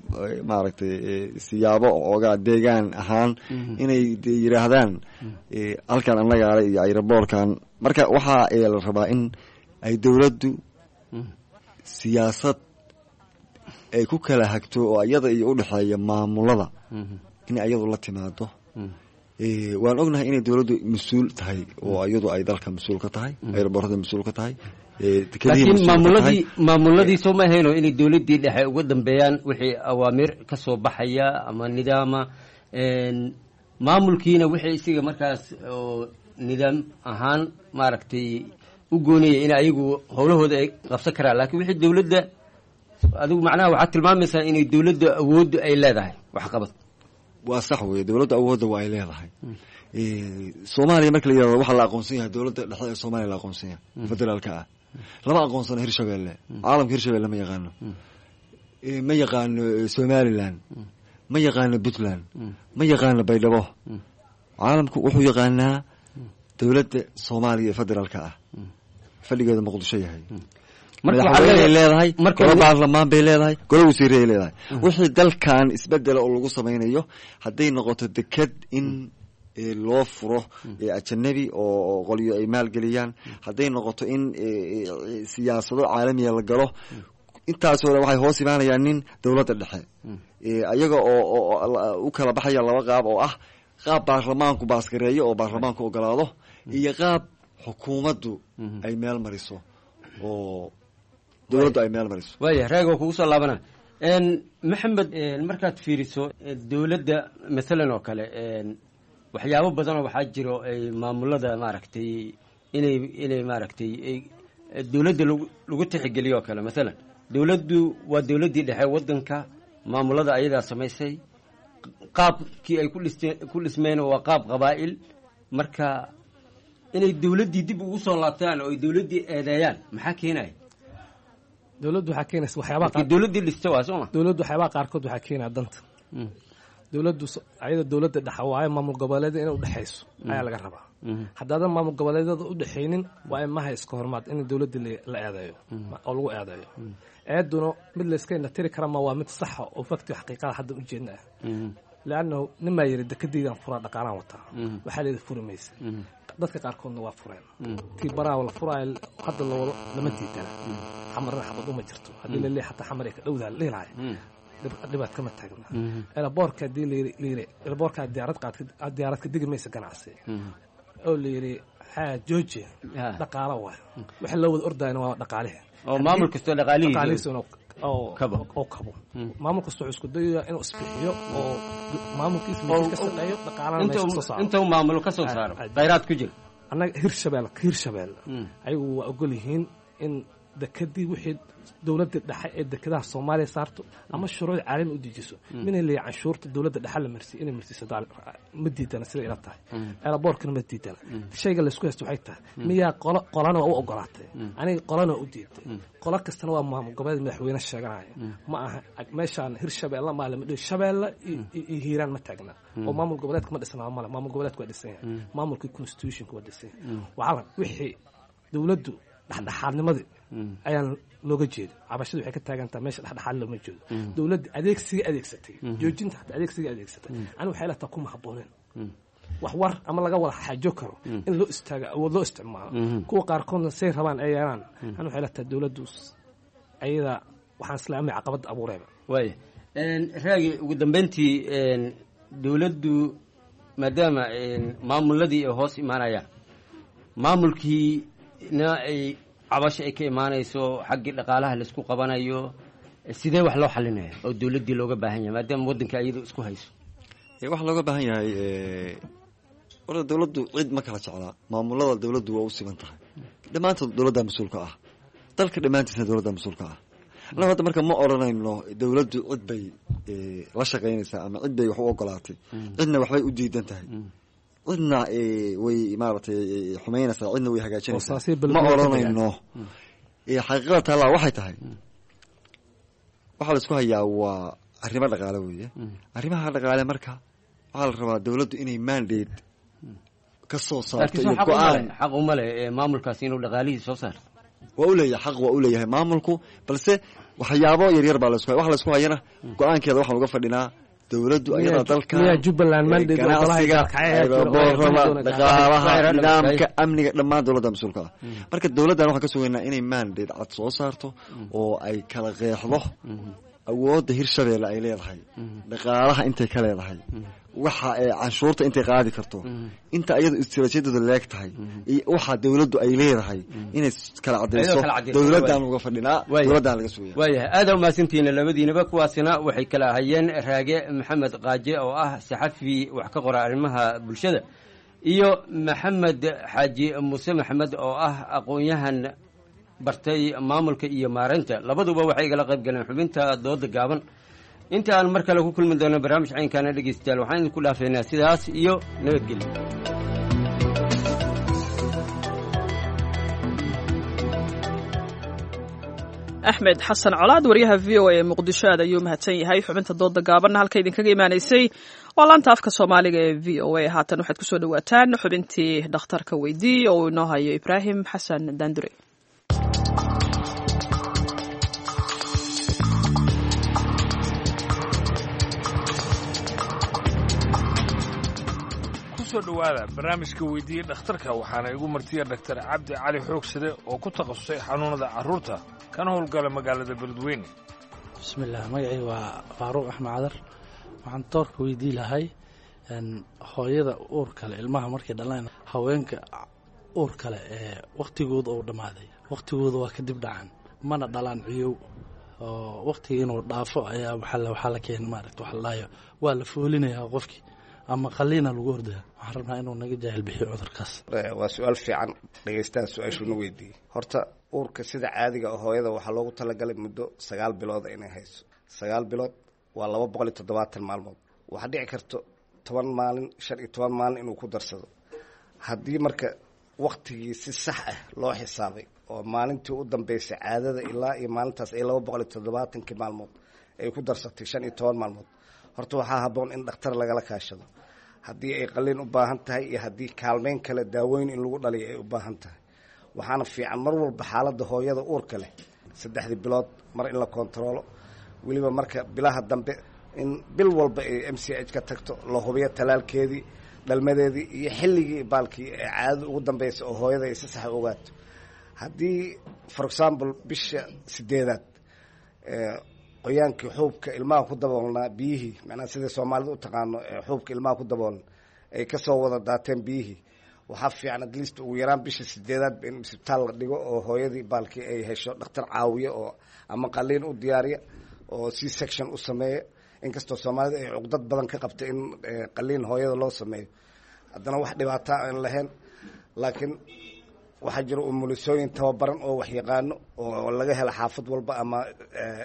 maaragtay siyaabo oogaa deegaan ahaan inay yidhaahdaan halkan annagaale iyo ayraboorkan. Marka waxaa la rabaa in ay dowladdu siyaasad ay ku kala hagto oo iyada iyo udhexeeya maamulada in iyadu la timaado. Waan ognahay inay dowladdu mas-uul tahay oo iyadu ay dalka mas-uul ka tahay, ayraboorada mas-uul ka tahay. Laakiin maamuladii maamuladii soo ma ahayno inay dowladdii dhexe uga dambeeyaan wixii awaamiir ka soo baxaya ama nidaama, maamulkiina wixii isiga markaas oo nidaam ahaan maaragtay u goonayay in ayagu howlahooda ay qabsan karaan. Laakiin wixii dowladda, adigu macnaha waxaad tilmaamaysaa inay dowladda awooddu ay leedahay waxqabad. Waa sax weye, dowladda awoodda waa ay leedahay. Soomaaliya marka la yihahdo waxaa la aqoonsan yahay dowladda dhexe ee Soomaaliya la aqoonsan yahay federaalka ah. Lama aqoonsano Hirshabelle, caalamka Hirshabelle ma yaqaano, ma yaqaano Somaliland, ma yaqaano Puntland, ma yaqaano Baydhabo. Caalamku wuxuu yaqaanaa dowladda Soomaaliya ee federaalka ah, fadhigeeda Muqdisho yahay. Madaxweyney leedahay, golo baarlamaan bay leedahay, golo wasiiray leedahay. Wixii dalkan isbedela oo lagu samaynayo hadday noqoto deked in loo furo ajanabi oo qolyo ay maalgeliyaan, hadday noqoto in siyaasado caalamiya la galo, intaasoo dhan waxay hoos imaanayaan nin dowladda dhexe, iyaga oo u kala baxaya laba qaab oo ah qaab baarlamaanku baasgareeyo oo baarlamaanku ogolaado iyo qaab xukuumaddu ay meel mariso oo dowladdu ay meel mariso. Waaya, raag oo kugu soo laabana. Maxamed, markaad fiiriso dowladda mathalan oo kale, waxyaabo badanoo waxaa jiro ay maamulada maaragtay inay inay maaragtay dowladda lagu lagu tixgeliyo oo kale. Mathalan dowladdu waa dowladdii dhexe waddanka, maamulada ayadaa samaysay, qaabkii ay ku dhisteen ku dhismeen waa qaab qabaa'il. Marka inay dowladdii dib ugu soo laabtaan oo ay dowladdii eedeeyaan maxaa keenaya? Dowladdu waxaa keenaysa waxyaabaha qaar, dowladdii dhista waa sooma. Dowladdu waxyaabaha qaarkood waxaa keenaya danta dowladdu, ayada dowladda dhexa waayo, maamul goboleedyada inay udhexayso ayaa laga rabaa. Haddaadan maamul goboleedyada udhexaynin, waa in maha iska hormaad in dowladda la eedeeyo oo lagu eedeeyo. Eeduna mid layska indhatiri kara ma waa mid saxa oo fakti xaqiiqada hadda ujeedna ah, leannahu nimaa yiri dekadaydan furaa dhaqaalaan wataa, waxaa leeda furi maysa. Dadka qaarkoodna waa fureen tii baraa la furaayo hadda la wado lama diidana, xamarna xabad uma jirto haddii la leeyahay, xataa xamar ay ka dhowdaa la dhihi lahay dhibaat kama taagna. Elaboorka haddii layiri elaboorka diyaarad qaad diyaarad ka digi maysa ganacsi oo la yiri xaa jooji dhaqaalo waay, waxa loo wada ordayna waa dhaqaalihi. Oo maamul kastoo dhaqaalihiisa oo oo kabo, maamul kastoo wuxuu isku dayayaa inuu isbixiyo oo maamulkiisa meesha ka shaqeeyo, dhaqaalana meesha ka soo saaro, inta uu maamulo ka soo saaro khayraad ku jira. Annaga Hirshabelle, Hirshabelle ayagu waa ogol yihiin in dekadii wixii dowladda dhexe ee dekedaha Soomaaliya saarto ama shuruuc caalami u dejiso, mina leeyahay canshuurta dowladda dhexe la marsiiyo inay marsiiso ma diidana sida ila tahay, elaboorkana ma diidana. Shayga laysku haysto waxay tahay miyaa qolo qolana waa u ogolaatay, aniga qolana waa u diiday, qolo kastana waa maamul goboleed madaxweyne sheeganaya. Ma aha meeshaan Hirshabeelle maa lama dhihi Shabeelle iyo Hiiraan ma taagna oo maamul goboleedka ma dhisnaa, male maamul goboleedka waa dhisan yahay, maamulkii constitutionka waa dhisan yahay. Waxaa wixii dowladdu dhexdhexaadnimadii ayaan looga jeedo, cabashadu waxay ka taagantaha meesha dhexdhexaad looma jeedo. Dowladda adeegsiga adeegsatay joojinta, xataa adeegsiga adeegsatay aniga waxay lataa kuma habbooneen wax war ama laga wada xaajo karo in loo istaago awood loo isticmaalo, kuwa qaarkoodna say rabaan ay yeelaan. Aniga waxay lataa dowladdu ayada waxaan islaamay caqabadda abuureeba. Waaya raagi, ugu dambeyntii dowladdu maadaama maamuladii ay hoos imaanayaan, maamulkiina ay cabasho ay ka imaanayso xaggii dhaqaalaha laisku qabanayo, sidee wax loo xalinaya oo dowladdii looga baahan yahay maadaama waddanka iyadu isku hayso? Waxaa looga baahan yahay horta dowladdu cid ma kala jeclaa, maamulada dowladdu waa u siman tahay dhammaantood, dowladda mas-uulka ah dalka dhammaantiisna dowladda mas-uulka ah. Annaga hadda marka ma odhanayno dowladdu cid bay la shaqaynaysaa ama cid bay wax u ogolaatay, cidna waxbay u diidan tahay, cidna way maaragtay xumaynaysaa, cidna way hagaajinaysaa, ma odhanayno. Xaqiiqada taallaa waxay tahay waxaa la isku hayaa waa arrimo dhaqaale weeye. Arrimaha dhaqaale marka waxaa la rabaa dowladdu inay mandate ka soo saarto iyo go-aan. Xaq uma leh maamulkaasi inuu dhaqaalihii soo saarto? Waa u leeyahay xaq, waa u leeyahay maamulku, balse waxyaabo yaryar baa lasku waxa laisku hayana go-aankeeda waxaan uga fadhinaa dowladdu ayada dalka ganacsiga boorada dhaqaalaha nidaamka amniga dhammaan dowladda mas-uulka ah. Marka dowladdan waxaan ka sugaynaa inay mandate cad soo saarto oo ay kala qeexdo awoodda Hirshabeelle ay leedahay, dhaqaalaha intay ka leedahay, waxa canshuurta intay qaadi karto, inta iyadu istiraatiijiyadooda leeg tahay iyo waxa dowladdu ay leedahay inay kala cadayso. Dowladdan uga fadhinaa, dowladdan laga sugaya. Waayahay, aada umahadsantihiin labadiinaba. Kuwaasina waxay kala ahayeen Raage Maxamed Qaaje oo ah saxafi wax ka qora arrimaha bulshada iyo Maxamed Xaaji Muuse Maxamed oo ah aqoon-yahan bartay maamulka iyo maareynta. Labaduba waxay igala qayb galeen xubinta dooda gaaban. Inta aan mar kale ku kulmi doono barnaamij caynkaana, dhegeystayaal, waxaan idinku dhaafaynaa sidaas iyo nabadgelyo. Axmed Xasan Colaad, wariyaha V O A ee Muqdisho, aad ayuu mahadsan yahay. Xubinta dooda gaabanna halka idinkaga imaanaysay waa laanta afka Soomaaliga ee V O A. Haatan waxaad kusoo dhawaataan xubintii dhakhtarka weydii oo uu inoo hayo Ibraahim Xasan Daandure. Ku soo dhowaada barnaamijka Weydiiye Dhakhtarka. Waxaana igu martiya Dhaktar Cabdi Cali Xoogsade oo ku takhasusay xanuunada carruurta kana howlgala magaalada Beledweyne. Bismillaah, magacii waa Faaruuq Axmed Cadar. Waxaan toorka weydii lahay hooyada uur kale ilmaha markay dhalaan, haweenka uur kale ee wakhtigooda uu dhammaaday, wakhtigooda waa kadib dhacan, mana dhalaan ciyow oo wakhtiga inuu dhaafo ayaa waxaa la keena, maaragta waxa la dhahayo waa la foolinayaa qofkii ama qaliina lagu ordaya. Waxaan rabnaa inuu naga jaahil bixiyo cudurkaas. Waa su-aal fiican dhegeystaha su-aashuuna weydiiyey. Horta uurka sida caadiga oo hooyada waxaa loogu talagalay muddo sagaal bilooda inay hayso. Sagaal bilood waa laba boqol iyo toddobaatan maalmood. Waxaa dhici karto toban maalin, shan iyo toban maalin inuu ku darsado. Haddii marka waktigii si sax ah loo xisaabay oo maalintii u dambeysay caadada ilaa iyo maalintaas ay laba boqol iyo toddobaatankii maalmood ay ku darsatay shan iyo toban maalmood, horta waxaa habboon in dhakhtar lagala kaashado haddii ay qaliin u baahan tahay iyo haddii kaalmeyn kale, daaweyn in lagu dhaliyo ay u baahan tahay. Waxaana fiican mar walba xaaladda hooyada uurka leh saddexdii bilood mar in la kontaroolo, weliba marka bilaha dambe in bil walba ay M C H ka tagto, la hubiyo talaalkeedii, dhalmadeedii iyo xilligii baalkii ee caadada ugu dambeysay oo hooyada ay si sax u ogaato. Haddii, for example, bisha sideedaad qoyaankii xuubka ilmaha ku daboolnaa, biyihii, macnaha sida Soomaalida u taqaano xuubka ilmaha ku daboolan, ay kasoo wada daateen biyihii, waxaa fiican at least ugu yaraan bisha sideedaad in isbitaal la dhigo oo hooyadii baalkii ay hesho dhakhtar caawiya oo ama qaliin u diyaariya oo C section u sameeya. Inkastoo Soomaalida ay cuqdad badan ka qabta in qaliin hooyada loo sameeyo, haddana wax dhibaataa aan lahayn, laakiin waxaa jira umulisooyin tababaran oo wax yaqaano oo laga hela xaafad walba ama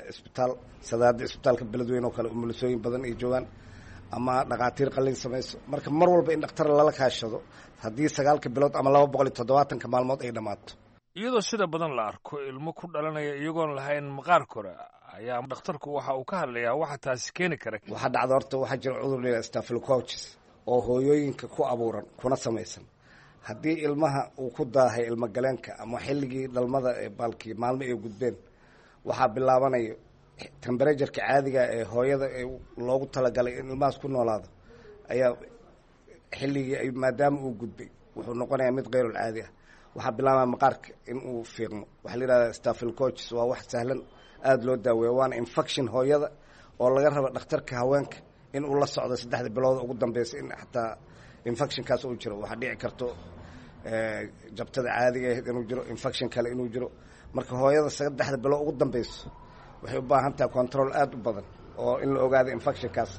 isbitaal, sadaada isbitaalka Beledweyne oo kale umulisooyin badan ay joogaan ama dhakhaatiir qaliin samayso. Marka mar walba in dhakhtar lala kaashado haddii sagaalka bilood ama laba boqol iyo toddobaatanka maalmood ay dhammaato. Iyadoo sida badan la arko ilmo ku dhalanaya iyagoon lahayn maqaar kore, ayaa dhakhtarku waxa uu ka hadlayaa waxa taasi keeni kara. Waxaa dhacda horta, waxaa jira cudur la yidhaha staphylococcus oo hooyooyinka ku abuuran kuna samaysan. Haddii ilmaha uu ku daahay ilmogaleenka ama xilligii dhalmada ee baalkii maalmo ay gudbeen, waxaa bilaabanayo temperatureka caadiga ee hooyada ee loogu talagalay in ilmahaas ku noolaado ayaa xilligii maadaama uu gudbay wuxuu noqonayaa mid keyrul caadi ah. Waxaa bilaabaya maqaarka in uu fiiqmo. Waxaa la yidhahdaa staphylococcus, waa wax sahlan, aada loo daaweeya, waana infection hooyada oo laga rabo dhakhtarka haweenka in uu la socdo saddexda bilood ugu dambeysa in xataa infectionkaas uu jiro. Waxaa dhici karto jabtada caadiga ahayd inuu jiro, infection kale inuu jiro. Marka hooyada saddexda bilood ugu dambeyso waxay u baahan tahay control aada u badan oo in la ogaado infectionkaas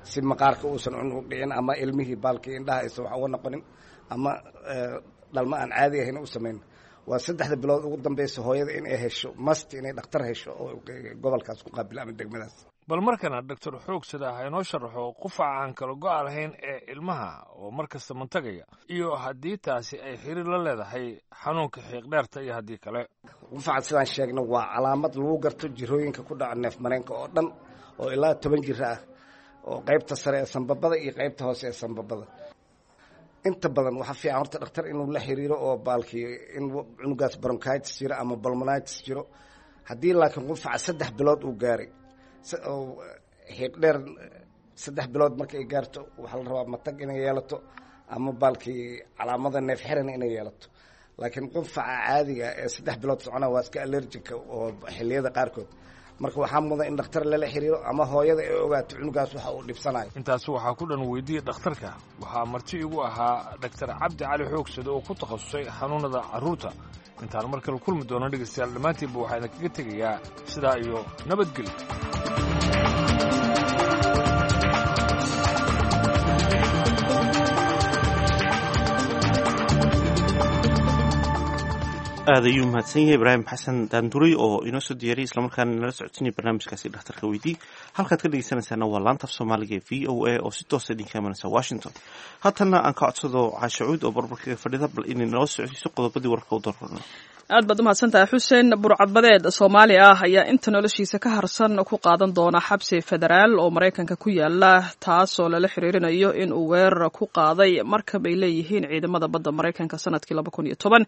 si maqaarka uusan cunug dhicin ama ilmihii baalkii indhaha aysan wax uga noqonin ama dhalma aan caadi ahayn u samayn. Waa saddexda bilood ugu dambeysa hooyada inay hesho must inay dhakhtar hesho oo gobolkaas ku qaabilo ama degmadaas. Bal markana Doctor Xoogsada ha inoo sharaxo qufaca aan kala go-a lahayn ee ilmaha oo mar kasta mantagaya iyo haddii taasi ay xiriir la leedahay xanuunka xiiqdheerta iyo haddii kale. Qufaca sidaan sheegna waa calaamad lagu garto jirooyinka ku dhaca neef mareenka oo dhan oo ilaa toban jiro ah, oo qaybta sare ee sanbabada iyo qaybta hoose ee sanbabada. Inta badan waxaa fiican horta dhakhtar inuu la xiriiro oo baalkii in cunugaas bronchitis jiro ama pulmonitis jiro. Haddii laakiin qufaca saddex bilood uu gaaray, xiiqdheer saddex bilood marka ay gaarto, waxaa la rabaa matag inay yeelato ama baalkii calaamada neef xirana inay yeelato. Laakiin qufaca caadiga ee saddex bilood socona waa iska allergica oo xilliyada qaarkood. Marka waxaa mudan in dhakhtar lala xiriiro ama hooyada ay ogaato cunugaas waxa uu dhibsanayo. Intaasi waxaa ku dhan Weydiiya Dhakhtarka. Waxaa marti igu ahaa Dhaktar Cabdi Cali Xoogsade oo ku takhasusay xanuunada carruurta. Intaan mar kale kulmi doono, dhegeystayaal, dhammaantiinba waxaa idinkaga tegayaa sidaa iyo nabadgelyo. Aad ayuu mahadsan yahay Ibraahim Xasan Daanduray oo inoo soo diyaariyay islamarkaana nala socodsiinaya barnaamijkaasi Dhakhtarka Weydii. Halkaad ka dhegeysanaysaana waa laanta af Soomaaliga ee V O A oo si toosa idinka imanaysa Washington. Haatanna aan ka codsado Caashacuud oo barbarkaga fadhida bal inay nala socodsiiso qodobadii warka u darrano. Aad baad umahadsantahay, Xuseen. Burcadbadeed Soomaali ah ayaa inta noloshiisa ka harsan ku qaadan doona xabsi federaal oo Maraykanka ku yaala, taasoo lala xiriirinayo in uu weerar ku qaaday markab ay leeyihiin ciidamada badda Maraykanka sanadkii laba kun iyo toban.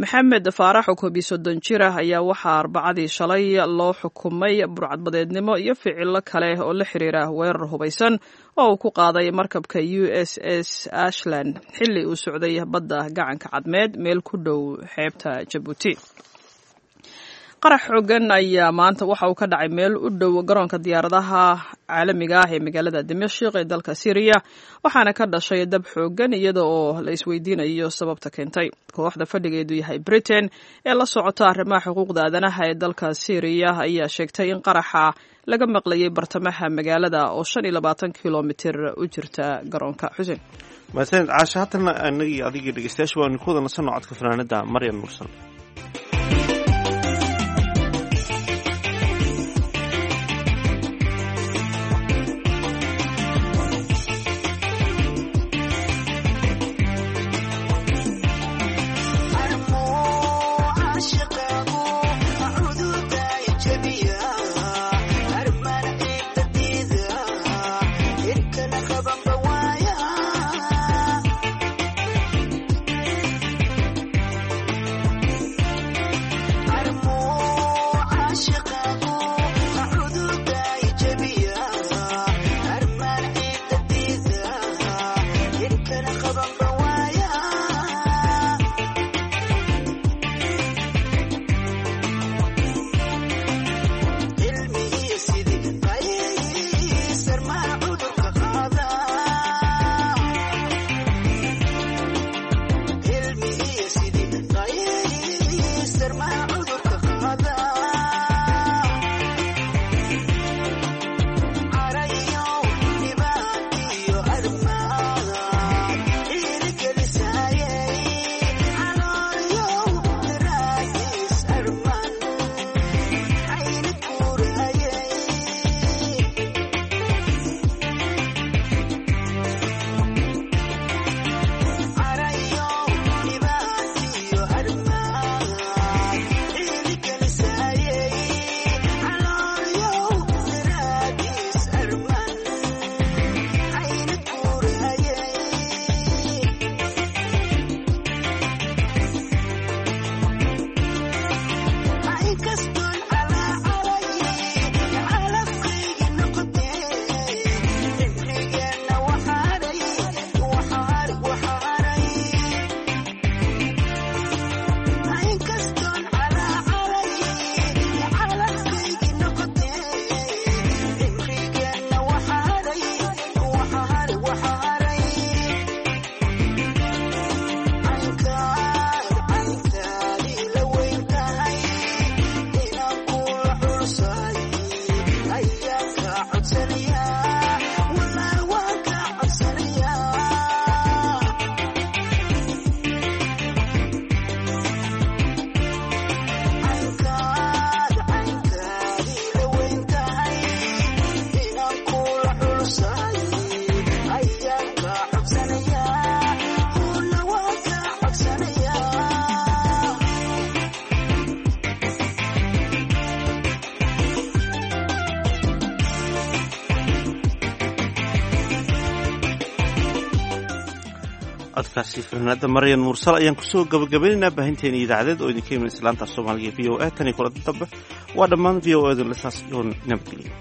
Maxamed Faarax oo koob iyo soddon jir ah ayaa waxaa arbacadii shalay loo xukumay burcadbadeednimo iyo ficilo kale oo la xiriira weerar hubaysan oo uu ku qaaday markabka U S S Ashland xilli uu socday badda gacanka Cadmeed meel ku dhow xeebta Jabuuti. Qarax xoogan ayaa maanta waxa uu ka dhacay meel u dhow garoonka diyaaradaha caalamiga ah ee magaalada Dimashq ee dalka Syria, waxaana ka dhashay dab xoogan iyada oo la isweydiinayo sababta keentay. Kooxda fadhigeedu yahay Britain ee la socota arrimaha xuquuqda aadanaha ee dalka Syria ayaa sheegtay in qaraxa laga maqlayay bartamaha magaalada oo shan iyo labaatan kilomitir u jirta garoonka. Xuseen mahadsanid Caasha. Haatana anagii adigii dhegeystayaasha waanu ku wada nasanno codka fanaanada Maryam Mursal. Codkaasi fanaanada Maryan Mursal ayaan kusoo gabagabaynaynaa baahinteena idaacadeed oo idinka iman islaanta Soomaaliga V O A. Tan iyo kulanti dambe waa dhammaan V O A da lasaas oo nabadgeliya.